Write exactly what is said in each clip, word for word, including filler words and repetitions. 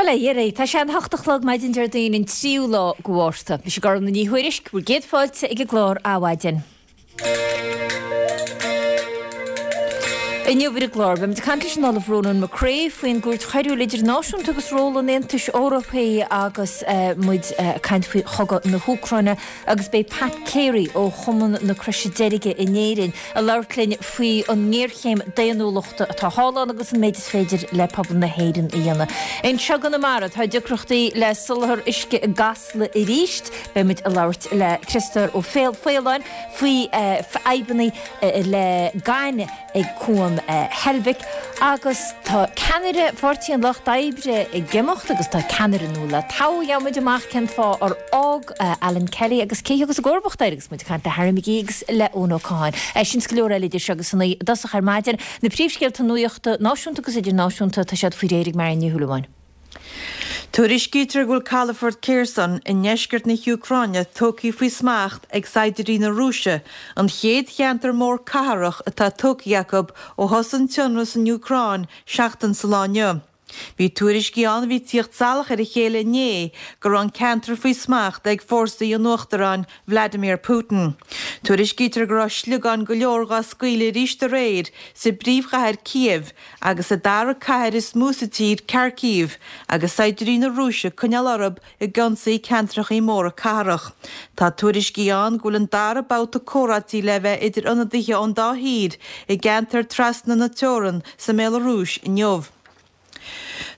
Bail ó Dhia oraibh, tá sé an hocht a chlog maidin Déardaoin an tríú lá de Mhárta. Mise Gormfhlaith Ní Thuairisg, bhur gcéad fáilte ag an gclár Adhmhaidin. Inniu ar an gclár, beimid ag caint leis an Ollamh Ronan McCrea faoin gCúirt Choiriúil Idirnáisiúnta agus ról an Aontais Eorpaigh agus muid ag caint faoi chogadh na hÚcráine agus beidh Pat Carey ó Chumann na Croise Deirge in Éirinn ag labhairt linn faoi an ngéarchéim daonnúlachta atá thall ann agus an méid is féidir le pobal na hÉireann a dhéanamh. Anseo i gConamara, tá deacrachtaí le soláthar uisce i gCasla arís. Beidh muid ag labhairt le Criostóir Ó Faoláin faoi fadhbanna le gaineamh ag Cuan Heilbhic agus tá ceannaire Pháirtí an Lucht Oibre ag imeacht agus tá ceannaire nua le toghadh. Gheobhaimid amach cén fáth ar fhág Alan Kelly agus cé thiocfas i gcomharbacht air agus muid ag caint le Harry McGee agus le Eoin Ó Catháin. Sin is go leor eile idir seo agus a naoi i dtosach ar maidin. Na príomhscéalta nuachta náisiúnta agus idirnáisiúnta, tá siad faoi réir ag Marion Ní Shúilleabháin. Tuairiscítear go bhfuil calafort Kherson i ndeisceart na hÚcráine tógtha faoi smacht ag saighdiúirí na Rúise, an chéad cheantar mór cathrach atá tógtha acu ó thosaigh an t-ionradh san Úcráin seachtain sa lá inniu. Bhí tuairiscí ann a bhí ag tíocht salach ar a chéile inné go raibh an ceantar faoi smacht ag fórsaí an Uachtaráin Vladimir Putin. Tuairiscítear go raibh sliogáin go leor dhá scaoileadh arís aréir sa bpríomhchathair Kyiv agus sa dara cathair is mó sa tír, Kharkiv, agus saighdiúirí na Rúise ag coinneáil orthu ag ionsaí ceantrachaí móra cathrach. Tá tuairiscí ann go bhfuil an dara babhta comhráití le bheith idir ionadaithe ón dá thír i gceantar trasna na teorann sa mBéalarúis inniu.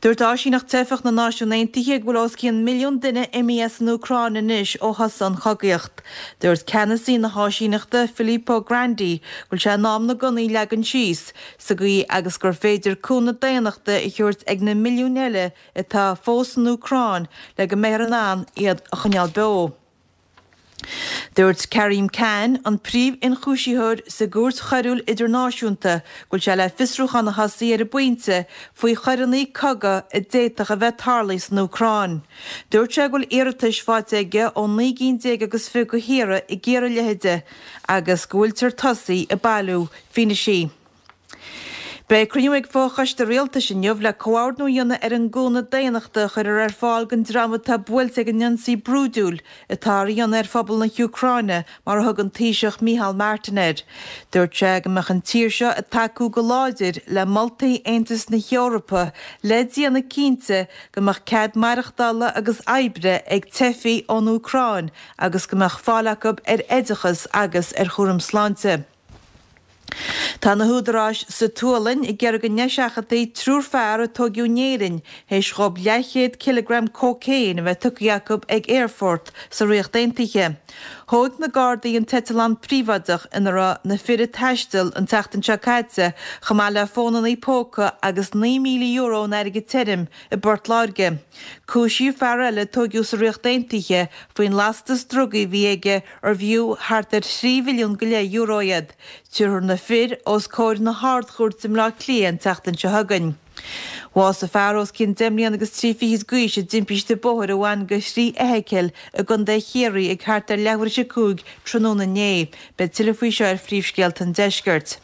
Dúirt Áisíneacht Teifeach na Náisiún Aontaithe go bhfuil os cionn milliún duine imithe as an Úcráin anois ó thosaigh an chogaíocht. Dúirt ceannasaí na háisíneachta, Filippo Grandi, go bhfuil sé in am na gunnaí a leagan síos, sa gcaoi agus gur féidir cúnamh daonnachta a thabhairt ag na milliúin eile atá fós san Úcráin le go mbeifear in ann iad a choinneáil beo. Dúirt Karim Khan, an príomh-ionchúisitheoir sa gCúirt Choiriúil Idirnáisiúnta, go bhfuil sé le fiosrúchán a thosaí ar an bpointe faoi choireanna cogaidh a d'fhéadfadh a bheith tarlaithe san Úcráin. Dúirt sé go bhfuil iarratais faighte aige ó naoi gcinn déag agus fiche de thíortha i gceithre leithead agus go bhfuiltear tosaithe ag bailiú fianaise. Beidh cruinniú ag Fo-Choiste Rialtais inniu le comhordnú a dhéanamh ar an gcúnamh daonnachta a chuirfear ar fáil don dream atá buailte ag an ionsaí brúidiúil atá á dhéanamh ar phobal na hÚcráine, mar a thug an Taoiseach Micheál Martin air. Dúirt sé go mbeadh an tír seo ag tacú go láidir le moltaí Aontas na hEorpa le déanamh cinnte go mbeadh cead maireachtála agus oibre ag teifigh ón Úcráin agus go mbeadh fáil acu ar oideachas agus ar chúram sláinte. Tá na húdaráis sa tSualainn ag iarraidh go ndeiseachadfaí triúr fear a tóigeadh in Éirinn théis dhóibh leathchéad cileagram cócaon a bheith tugtha acu ag aerfort sa Ríocht Aontaithe. Thóig na Gardaí an t-eitleán príobháideach ina raibh na fir ag taisteal an tseachtain seo caite chomh maith le fónannaí póca agus naoi míle euro in airgead tirim i bPort Láirge. Cúisíodh fear eile a tóigeadh sa Ríocht Aontaithe faoin lastas drugaí a bhí aige arbh fhiú thart ar thrí mhilliún go leith euro iad. Tabharfar na fir os comhair na hArd-Chúirte i mBleá Cliath an tseachtain seo chugainn. Bhásaigh fear os cionn deich mbliana agus trí fichid d'aois i dtimpiste bóthair a bhain go thrí fheithicil i gContae Chiarraí ag thart ar leathuair tar éis a cúig tráthnóna inné. Beidh tuilleadh faoi seo ar Phríomhscéalta an Deiscirt.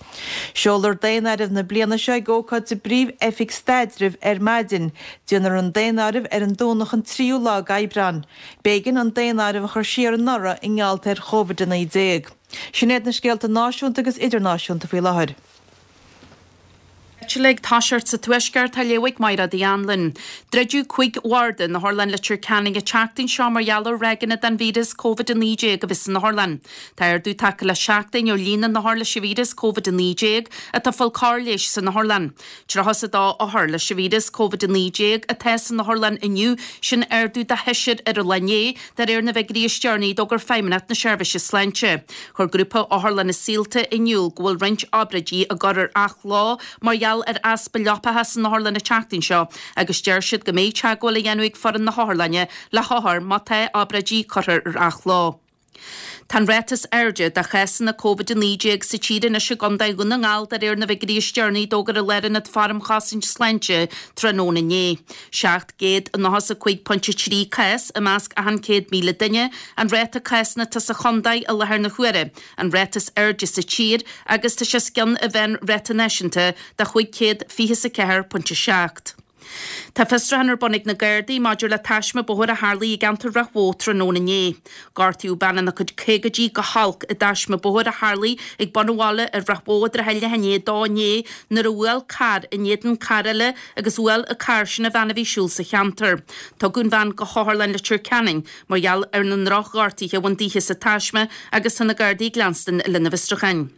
Seolfar daonáireamh na bliana seo ag ócáid sa bPríomh-Oifig Staidrimh ar maidin. Déanfar an daonáireamh ar an Domhnach an tríú lá d'Aibreán. B'éigean an daonáireamh a chur siar anuraidh i ngeall ar Chóivid a naoi déag. Sin iad na scéalta náisiúnta agus idirnáisiúnta faoi láthair. Eitilt ag toiseacht sa Tuaisceart á léamh ag Mairéad Uí Anluain. Druideadh cúig bharda in Otharlann Leitir Ceanainn an tseachtain seo mar gheall ar ráigeanna den víreas Covid a naoi déag a bheith san otharlann. Tá ardú tagtha le seachtain ar líon na n-othar leis an víreas Covid a naoi déag atá ag fáil cóir leighis san otharlann. Tríocha is a dó othar leis an víreas Covid a naoi déag atá san otharlann inniu, sin ardú de sheisear ar an lá inné, de réir na bhfigiúirí is deireanaí a d'fhógair Feidhmeannacht na Seirbhíse Sláinte. Chuir grúpa Otharlanna Saolta in iúl go bhfuil roinnt obráidí á gcur ar athló mar gheall ar easpa leapacha san otharlann an tseachtain seo agus deir siad go mbeidh teagmháil á dhéanamh ag foireann na hotharlainne le hothair má tá obráidí curtha ar athló. Tá an ráta is airde de chásanna Covid a naoi déag sa tír anois i gContae Dhún na nGall de réir na bhfigiúirí is deireanaí a d'fhógair an Lárionad Forumchosaint Sláinte tráthnóna inné. seacht gcéad nócha is a cúig pointe trí cás i measc achan céad míle duine an ráta cásanna atá sa chontae i láthair na huaire, an ráta is airde sa tír agus tá sé os cionn an mheánráta náisiúnta de chúig chéad fiche is a ceathair pointe seacht. Tá fiosrúchán ar bun ag na Gardaí maidir le taisme bóthair a tharlaigh i gceantar Ráth Bhoth tráthnóna inné. Gortaíodh bean ina cuid caogaidí go holc i dtaisme bóthair a tharlaigh ag bun an bhaile i Ráth Bhoth i dtrátha leath i ndiaidh a dó inné nuair a bhuail carr in éadan carr eile agus bhuail an carr sin an bhean a bhí ag siúl sa cheantar. Tugadh an bhean go hOtharlann Leitir Ceanainn mar gheall ar na ndrochghortuithe a bhain dithe sa taisme agus tá na Gardaí ag leanstan lena bhfiosrúcháin.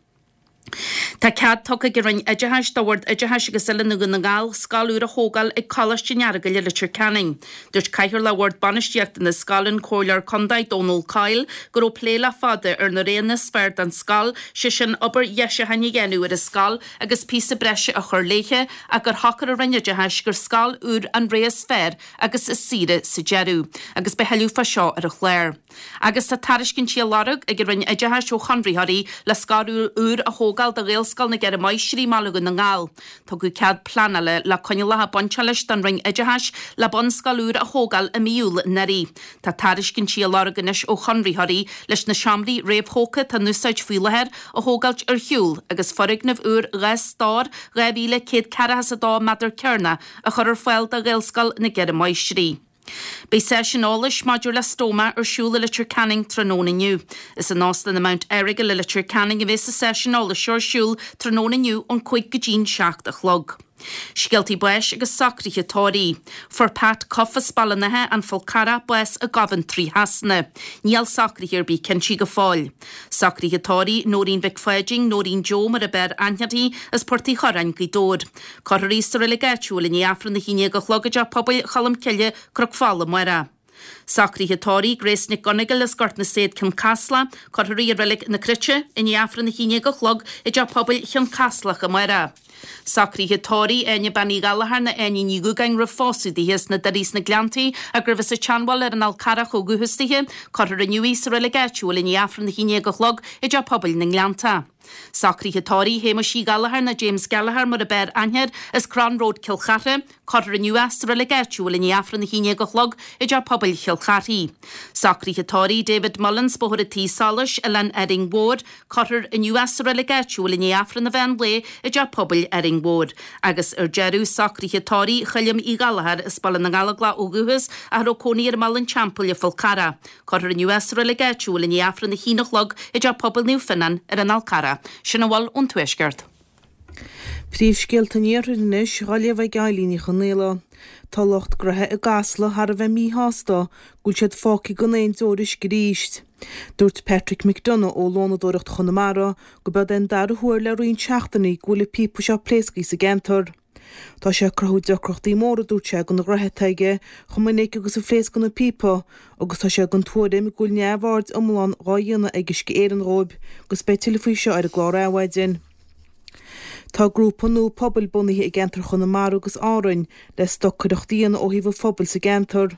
Tá cead tugtha ag an Roinn Oideachais do Bhord Oideachais agus Oiliúna Dhún na nGall scoil úr a thógáil ag Coláiste an Earagail i Leitir Ceanainn. Dúirt Cathaoirleach Bhord Bainistíochta na scoile, an Comhairleoir Contae Dónal Coyle, go raibh plé le fada ar na roghanna is fearr don scoil, sé sin obair dheisiúcháin a dhéanamh ar an scoil agus píosa breise a chur léithe, ach gur shocair an Roinn Oideachais gur scoil úr an rogha is fearr agus is saoire sa deireadh. Agus beidh tuilleadh fá seo ar an chlár. Agus tá tairiscintí á lorg ag an Roinn Oideachais ó chonraitheoirí le scoil úr a thógáil do Ghaelscoil na gCeithre Máistrí i mBaile Dhún na nGall. Tugadh cead pleanála le coinníollacha bainte leis don Roinn Oideachais le bunscoil úr a thógáil i mí Iúil anuraidh. Tá tairiscintí á lorg anois ó chonraitheoirí leis na seomraí réamhthógtha atá in úsáid faoi láthair a thógáilt ar shiúl agus foirgneamh úr dhá stór dhá mhíle céad ceathracha is a dó méadar cearnach a chur ar fáil do Ghaelscoil na gCeithre Máistrí. Beidh seisiún eolais maidir le stóma ar siúl i Leitir Ceanainn tráthnóna inniu. Is in Óstán an Mount Errigal i Leitir Ceanainn a bheas an seisiún eolais seo ar siúl tráthnóna inniu ón cúig go dtí'n seacht a chlog. Scéaltaí báis agus socruithe tórraimh. Fuair Pat Cuff as Baile an Átha, an Fál Carrach, bás i gCoventry Shasana. Níl socruithe ar bith cinnte go fóill. Socruithe tórraimh Nóirín Mhic Pháidín, Nóirín Joe mar ab fhearr aithne uirthi as Port Uí Churráin, Gaoth Dobhair. Cuirfear í sa reilig áitiúil i ndiaidh Aifreann a haon déag a chlog i dteach pobail Cholm Cille, Cnoc Fola amárach. Socruithe tórraimh Grace Nic Gonigal as Gort na Said Cionn Caslach, cuirfear í i reilig na Cruite i ndiaidh Aifreann a haon déag a chlog i dteach pobail Chionn Caslach amárach. Socruithe tórraimh Áine Bean Uí Ghallchóir nó Áine Ní Dhúgáin roimh phósadh dithe as na Doirí sna Gleanntaí ach gurbh as an tSeanbhaile ar an Fhál Carrach ó dhúchas dithe, cuirfear inniu í sa reilig áitiúil i ndiaidh Aifreann a haon déag a chlog i dteach pobail na nGleannta. Socruithe tórraimh Shéamuis Uí Ghallchóir nó James Gallagher mar ab fhearr aithne air as Crann Road Cill Chartha, cuirfear inniu é sa reilig áitiúil i ndiaidh Aifreann a haon déag a chlog i dteach pobail Chill Charthaigh. Socruithe tórraimh David Mullins, Bóthar an Tí Solais, Oileán Árainn Mhór, cuirfear inniu é sa reilig áitiúil i ndiaidh Aifreann an mheán lae i dteach pobail Árainn Mhór. Agus ar deireadh socruithe tórraimh Choilm Uí Ghallchóir as Baile na nGallóglach ó dhúchas ach a raibh cónaí air i mBaile an Teampaill Fál Carrach. Cuirfear inniu é sa reilig áitiúil i ndiaidh Aifreann a haon a chlog i dteach pobail Naomh Fionnán ar an Fhál Carrach. Sin a bhfuil ón Tuaisceart. Príomhscéalta an Iarthair anois á léamh ag Eilín Ní Chonaola. Tá lucht gnaithe i gCasla thar a bheith míshásta go bhfuil siad fágtha gan aon deoir uisce arís. Dúirt Patrick McDonough ó Lónadóireacht Chonamara go b'é an dara huair le roinnt seachtainí go bhfuil an píopa seo pléasctha sa gceantar. Tá sé ag cruthú deacrachtaí móra dúirt sé don ghnó atá aige chomh minic agus a phléascann an píopa agus tá sé den tuairim go bhfuil neamhaird iomlán á dhéanamh ag Uisce Éireann dhóibh agus beidh tuilleadh faoi seo ar an gclár Adhmhaidin. Tá grúpa nua pobail bunaithe i gceantar Chonamara agus Árainn le stocaireacht a dhéanamh ó thaobh an phobail sa gceantar.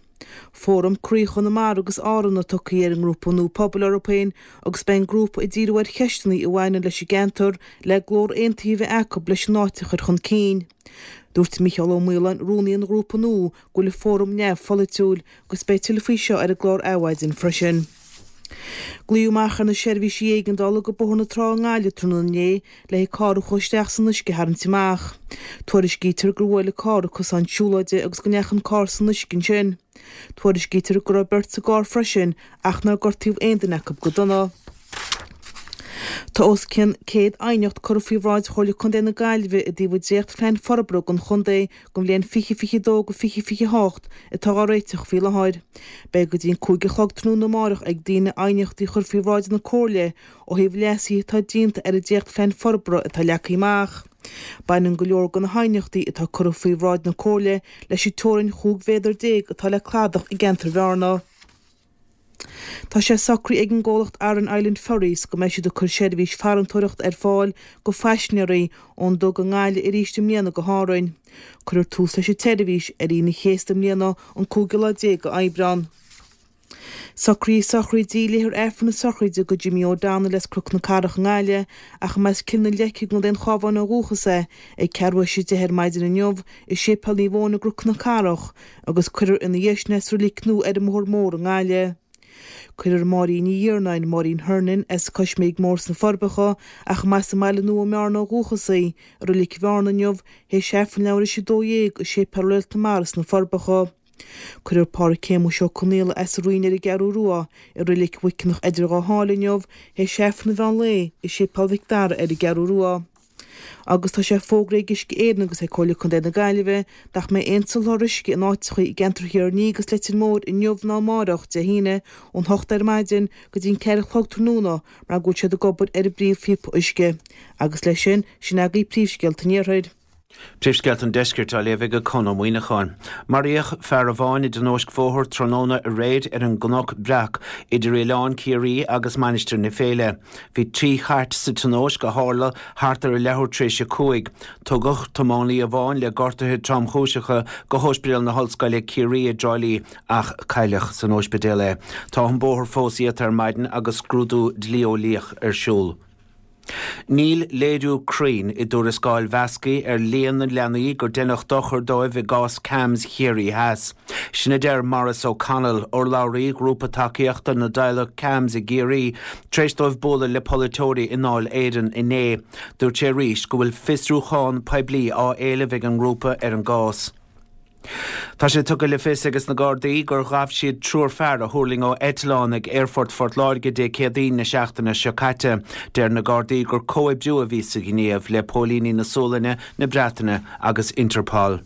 Fóram Croí Chonamara agus Árann atá tugtha ar an ngrúpa nua pobail orthu féin agus beidh an grúpa ag díriú ar cheisteanna a bhaineann leis an gceantar le glór aontaithe a bheith acu leis an áit a chur chun cinn. Dúirt Micheál Ó Maoláin rúnaí an ghrúpa nua go bhfuil an fóram neamhpholaitiúil agus beidh tuilleadh faoi seo ar an gclár Adhmhaidin freisin. Glaodh amach ar na seirbhísí éigeandála go Bóthar na Trá i nGaillimh tráthnóna inné le carr a chuaigh isteach san uisce a tharraingt amach. Tuairiscítear gur bhuail an carr cosán siúlóide agus go ndeachaigh an carr san uisce ansin. Tuairiscítear go raibh beirt sa gcarr freisin ach nár gortaíodh aon duine acu go dona. Tá os cionn céad aighneacht curtha faoi bhráid Chomhairle Contae na Gaillimhe i dtaobh an dréachtphlean forbartha don chontae don bhliain fiche fiche dó go fiche fiche hocht atá á réiteach faoi láthair. Beidh go dtí an cúig a chlog tráthnóna amárach ag daoine aighneachtaí chur faoi bhráid na Comhairle ó thaobh leasuithe atá déanta ar an dréachtphlean forbartha atá leagtha amach. Baineann go leor de na haighneachtaí atá curtha faoi bhráid na Comhairle leis an teorainn chúig mhéadar déag atá le cladach i gceantar Bhearna. Tá sé socraithe ag an gcomhlacht Aran Island Ferries go mbeidh siad ag cur seirbhís farantóireacht ar fáil go phaisinéirí ón dug i nGaillimh arís i mbliana go hÁrainn. Cuirfear tús leis an tseirbhís ar Aoine an Chéasta i mbliana an cúigiú lá déag Aibreán. Socraíodh sochraid léifear Aifreann na sochraide do Jimmy O'Donnell as Cnoc na Cathrach i nGaillimh ach as Cill na Leice i gContae an Chabháin ó dhúchas é ag ceathrú théis a deich ar maidin inniu i Séipéal Naomh Eoin i gCnoc na Cathrach agus cuirfear ina dhiaidh sin é sa reilig nua ar an mBóthar Mór i nGaillimh. Cuirfear Máirín Ní Iarnáin, Máirín Hernon, as Coisméig Mór sna Forbacha, ach as an mBaile Nua i mBearna ó dhúchas í, i Reilig Bhearna inniu, théis Aifreann leathuair théis a dó dhéag i Séipéal Réalt na Mara sna Forbacha. Cuirfear Pádraig Shéamuis Ó Conaola as an Rinn ar an gCeathrú Rua i Reilig Mhuiceanach Eidir Dhá Sháile inniu, théis Aifreann an mheán lae i Séipéal Mhic Dara ar an gCeathrú Rua. Agus tá sé fógraithe ag Uisce Éireann agus ag Comhairle Contae na Gaillimhe nach mbeidh aon soláthar uisce in áiteacha i gceantar Thír an Fhia agus Leitir Móir inniu ná amárach, Dé hAoine, ón hocht ar maidin go dtí an ceithre a chlog tráthnóna mar go bhfuil siad ag obair ar an bpríomhphíopa uisce. Agus leis sin, sin agaibh príomhscéalta an Iarthair. Príomhscéalta an Deiscirt á léamh ag Conn Ó Muíneacháin. Maraíodh fear amháin i dtionóisc bhóthair tráthnóna aréir ar an gCnoc Breac idir Oileán Ciarraí agus Mainistir na Féile. Bhí trí chairt sa tionóisc a tharla thart ar a leathuair tar éis a cúig. Tugadh tiománaí amháin le gortuithe tromchúiseacha go hOspidéal na hOllscoile Ciarraí i dTrá Lí ach cailleadh san ospidéal é. Tá an bóthar fós iata ar maidin agus scrúdú dlí-eolaíoch ar siúl. Níl léiriú cruinn i dtuarascáil Mheascaí ar líon na leanaí gur deineadh dochar dóibh i gcás CAMHS Chiarraí Theas. Sin a deir Maurice O'Connell, urlabhraí ghrúpa tacaíochta na dteaghlach CAMHS i gCiarraí, tar éis dóibh bualadh le polaiteoirí i nDáil Éireann inné. Dúirt sé arís go bhfuil fiosrúchán poiblí á éileamh ag an ngrúpa ar an gcás. Tá sé tugtha le fios ages na Gardaí gur ghabh siad triúr fear a thuirling ó eitleán ag Aerfort Phort Láirge Dé Céadaoin na seachtaine seo caite. Deir na Gardaí gur comhoibriú a bhí sa ghníomh le póilíní na Sualainne, na Breataine agus Interpol.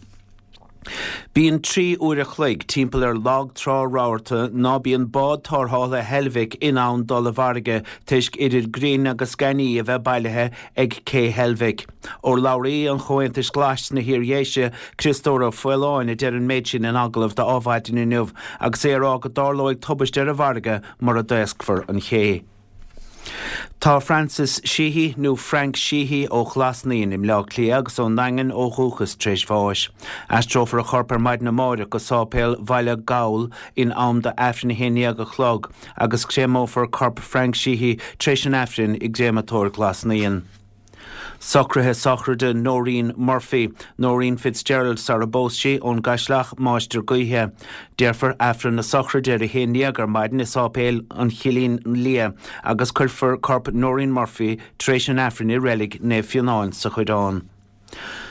Bíonn trí uair a chloig timpeall ar lag trá rabharta ná bíonn bád tarrthála Heilbhic in ann dul i bhfarraige toisc idir grinn agus gaineamh a bheith bailithe ag cé Heilbhic. Urlabhraí an Chomhaontais Ghlais sna hIardhéise, Criostóir Ó Faoláin, a deir an méid sin in agallamh d'Adhmhaidin inniu agus é ag rá go dtarlóidh tubaiste ar an bhfarraige mura dtaoscfar an ché. Tá Francis Sheehy nó Frank Sheehy ó Ghlas Naíon i mBleá Cliath agus ón nDaingean ó dhúchas tar éis bháis. Aistreofar a chorp ar maidin amárach go Sáipéal Bhaile Gabhal in am d'Aifreann a haon déag a chlog agus créamófar corp Frank Sheehy tar éis an Aifrinn i gcréamatóir Ghlas Naíon. Socruithe sochraide Noreen Murphy, Noreen Fitzgerald sar a bpós sí ón gCaisleach Máistir Gaoithe. Déarfar Aifreann na sochraide ar a haon déag ar maidin i Sáipéal an Chillín Liath agus cuirfear corp Noreen Murphy tar éis an Aifrinn i reilig Naomh Fionán sa Choireán.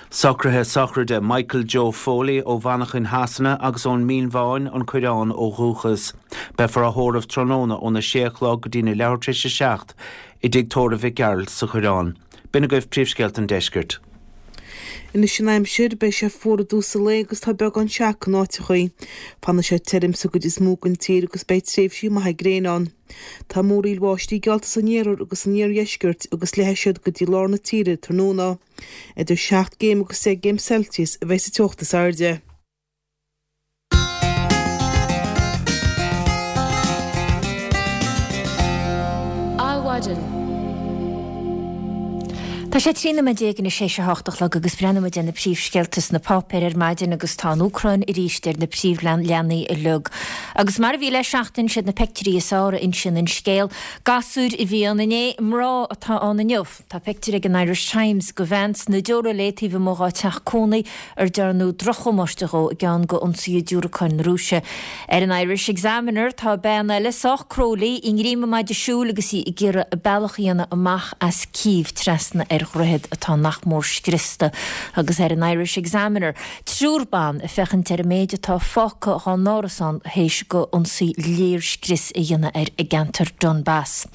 Socruithe sochraide Michael Joe Foley ó Mhanchain Shasana agus ón Mín Bháin an Coireán ó dhúchas. Beifear á thórramh tráthnóna óna sé a chlog go dtí na leathuair tar éis a seacht i dtigh tórraimh Mhic Gearailt sa Choireán. B'in agaibh príomhscéalta an deiscirt. Anois an aimsir, beidh sé fuar i dtús an lae agus tá beagán seaca in áiteachaí. Fanfaidh sé tirim sa gcuid is mó den tír agus beidh tréimhsí maithe gréine ann. Tá múraíl bháistí geallta san iarthar agus san iardheisceart agus leathfaidh siad go dtí lár na tíre tráthnóna. Idir seacht gcéim agus deich gcéim Celsius a bheidh sa teocht is airde. Adhmhaidin. Tá sé trí nóiméad déag anois théis a hocht a chlog agus breathnóidh muid ar na príomhscéalta sna páipéir ar maidin agus tá an Úcráin arís ar na príomhleathanaigh uilig. Agus mar a bhí le seachtain, siad na peictiúirí is fearr a insíonn an scéal. Gasúir a bhí ann inné, mná atá ann inniu. Tá pictiúr ag an Irish Times de bhean sna deora léi taobh amuigh dhá teach cónaí ar dearnadh drochdhamáiste dhó i gceann de ionsaithe diúracáin na Rúise. Ar an Irish Examiner tá bean eile sách cróilí i ngreim a maide siúil agus í ag iarraidh a bealach a dhéanamh amach as Cív trasna ar dhroichead atá nach mór scriosta. Agus ar an Irish Examiner, triúr ban ag féachaint ar an méid atá fágtha dhá n-árasán théis go ionsaí léirscrios a dhéanamh air i gceantar Donbass.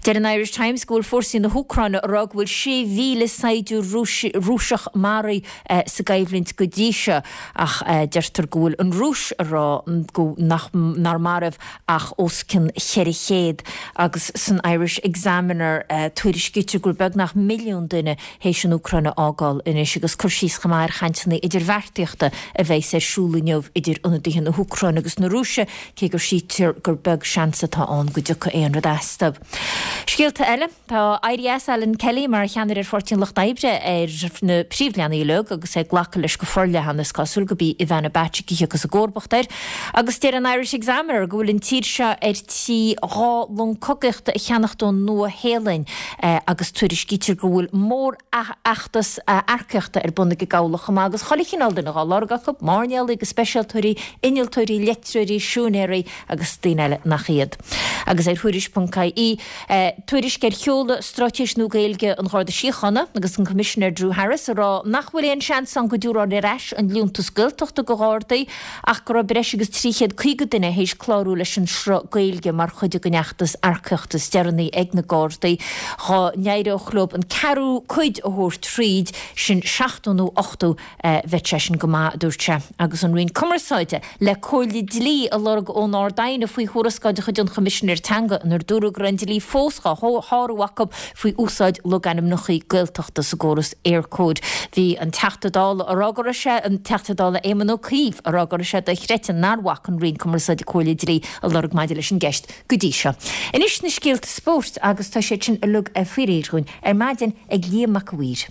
Deir an Irish Times go bhfuil fórsaí na hÚcráine ag rá go bhfuil sé mhíle saighdiúir Rúiseach maraithe sa gcoimhlint go dtí seo ach deirtear go bhfuil an Rúis ag rá go nach nár maraíodh ach os cionn cheithre chéad agus san Irish Examiner tuairiscítear go bhfuil beagnach milliún duine théis an Úcráin a fhágáil anois agus cur síos chomh maith ar chainteanna idirbheartaíochta a bheas ar siúl inniu idir ionadaithe na hÚcráine agus na Rúise cé gur síltear gur beag seans atá ann go dtiocfaidh aon rud astu. Scéalta eile, tá éirí as Alan Kelly mar cheannaire ar Pháirtí an Lucht Oibre ar na príomhleathanaigh uilig agus é glactha leis go forleathan is cosúil gurb í Ivana Bacik a thiocfas i gcomharbacht air. Agus deir an Irish Examiner go bhfuil an tír seo ar tí dhá long cogaíochta a cheannacht ón Nua-Shéalainn agus tuairiscítear go bhfuil mórfheachtas earcaíochta ar bun ag an gcabhlach chomh maith agus chuile chineál duine dhá lorg acu, mairnéalaigh agus speisialtóirí, innealtóirí, leictreoirí, siúinéirí agus daoine eile nach iad. Agus ar Thuairisc ponc ie, tuairisc ar sheoladh Straitéis Nua Gaeilge an Gharda Síochána agus an Coimisinéir Drew Harris ag rá nach bhfuil aon seans ann go dtabharfar ar ais an liúntas Gaeltachta do Ghardaí ach go raibh breis agus trí chéad caoga duine théis clárú leis an sruth Gaeilge mar chuid den fheachtas earcaíochta is deireanaí ag na Gardaí. Dhá n-éireodh leo an ceathrú cuid a thabhairt tríd, sin seachtó nó ochtó, bheadh sé sin go maith, a dúirt sé. Agus an Roinn Cumarsáide le comhairle dlí a lorg ón Ard-Aighne faoi thuarascáil de chuid an Choimisinéir Teanga inar dúradh go raibh an dlí fós dhá shárú acu faoi úsáid logainmneacha Gaeltachta sa gcóras Eircode. Bhí an Teachta Dála a rá go raibh sé, an Teachta Dála Éamon Ó Cuív, a rá go raibh sé dochreidte nár bhac an Roinn Cumarsáide comhairle dlí a lorg maidir leis an gceist go dtí seo. Anois na scéalta spóirt agus tá siad sin uilig faoi réir dhúinn ar maidin ag Liam Mac a' Mhaoir.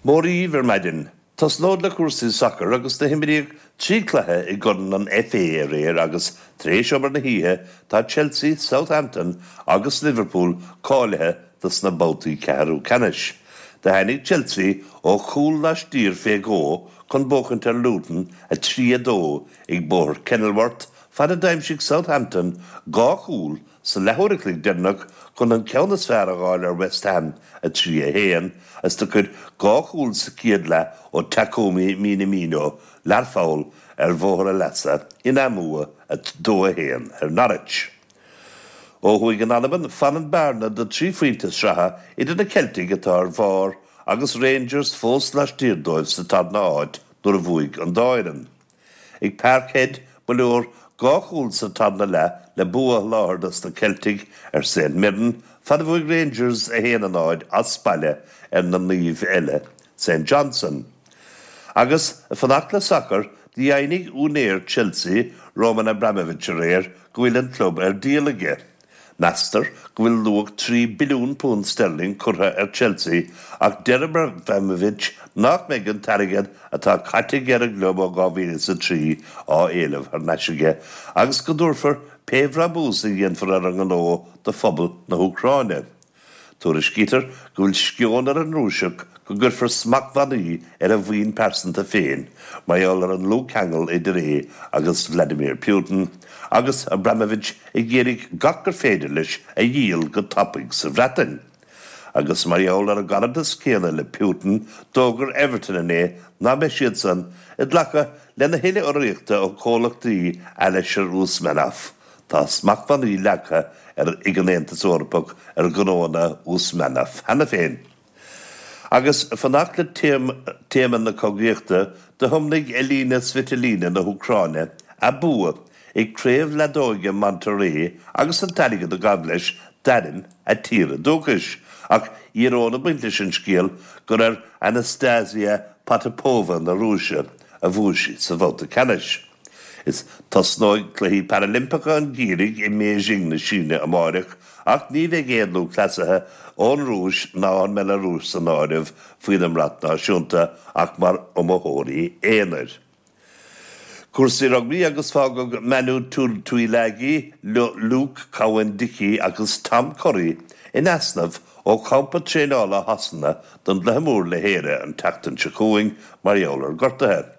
Mora dhaoibh ar maidin. Tosnód le cúrsaí sacair agus do himríodh trí chluiche i gCorn an FA aréir agus tar éis obair na hoíche tá Chelsea, Southampton agus Liverpool cáilithe dos na babhtaí ceathrú ceannais. Do tháinig Chelsea ó chúl laistiar fé dhó chun buachaint ar Luton a trí a dó ag Bóthar Kenilworth fad a d'aimsigh Southampton dhá chúl sa leathuair a chloig deireanach chun an ceann is fearr a dh'fháil ar West Ham, a trí a haon, is do chuir dhá chúl sa chéad leath ó Takumi Minamino Learpholl ar bhóthar a leasa ina mbua a dó a haon ar Norwich. Ó thuaidh in Albain, fanann bearna de trí phointe sraithe idir na Ceiltigh atá ar bharr agus Rangers fós laistiar dóibh sa tarna háit nuair a bhuaigh an dá fhoireann. Ag Parkhead, ba leor dhá chúl sa tarna leath le bua a sholáthar dos na Ceiltigh ar St Mirren, fad a bhuaigh Rangers a haon a náid as baile ar na naoimh eile, St Johnstone. Agus ag fanacht le sacar, do dheimhnigh úinéir Chelsea, Roman Abramovich aréir go bhfuil an club ar díol aige. Meastar go bhfuil luach trí billiún punt sterling curtha ar Chelsea ach deir Abramovich nach mbeidh an t-airgead atá caite aige ar an gclub ó dhá mhíle is a trí á éileamh thar n-ais aige agus go dtabharfar pé bhrabús a dhéanfar ar an ngnó do phobal na hÚcráine. Tuairiscítear go bhfuil sceon ar an Rúiseach go gcuirfear smachtbhannaí ar a mhaoin pearsanta féin mar gheall ar an ndlúthcheangal idir é agus Vladimir Putin, agus Abramovich ag iarraidh gach gur féidir leis a dhíol go tapaidh sa Bhreatain. Agus mar gheall ar an gcaradas céanna le Putin, d'fhógair Everton inné nach mbeidh siadsan ag glacadh lena thuilleadh urraíochta ó chomhlachtaí Alisher Usmanov. Tá smachtbhannaí leagtha ar ag an Aontas Eorpach ar ghnóanna Usmanov cheana féin. Agus ag fanacht le téama na cogaíochta, do thiomnaigh Elina Svitolina na hÚcráine a bua ag Craobh Leadóige Monterrey agus an t-airgead a ghabh leis d'airm a tíre dúchais. Ach íoróin ag baint leis an scéal gur ar Anastasia Potapova na Rúise a bhuaigh sí sa bhabhta ceannais. Is tosnóidh Cluichí Parailimpeacha an Gheimhridh i mBeijing na Síne amáireach ach ní bheidh aon lúthchleasaithe ón Rúis ná an mBealarúis san áireamh faoina mbrat náisiúnta ach mar iomaitheoirí aonair. Cúrsaí rugbaí agus fágadh Manu Tuilagi, Luke Cowan-Dickie agus Tom Curry in easnamh ó champa traenála Shasana don gcluiche mór le hÉire an tseachtain seo chugainn mar gheall ar ghortuithe.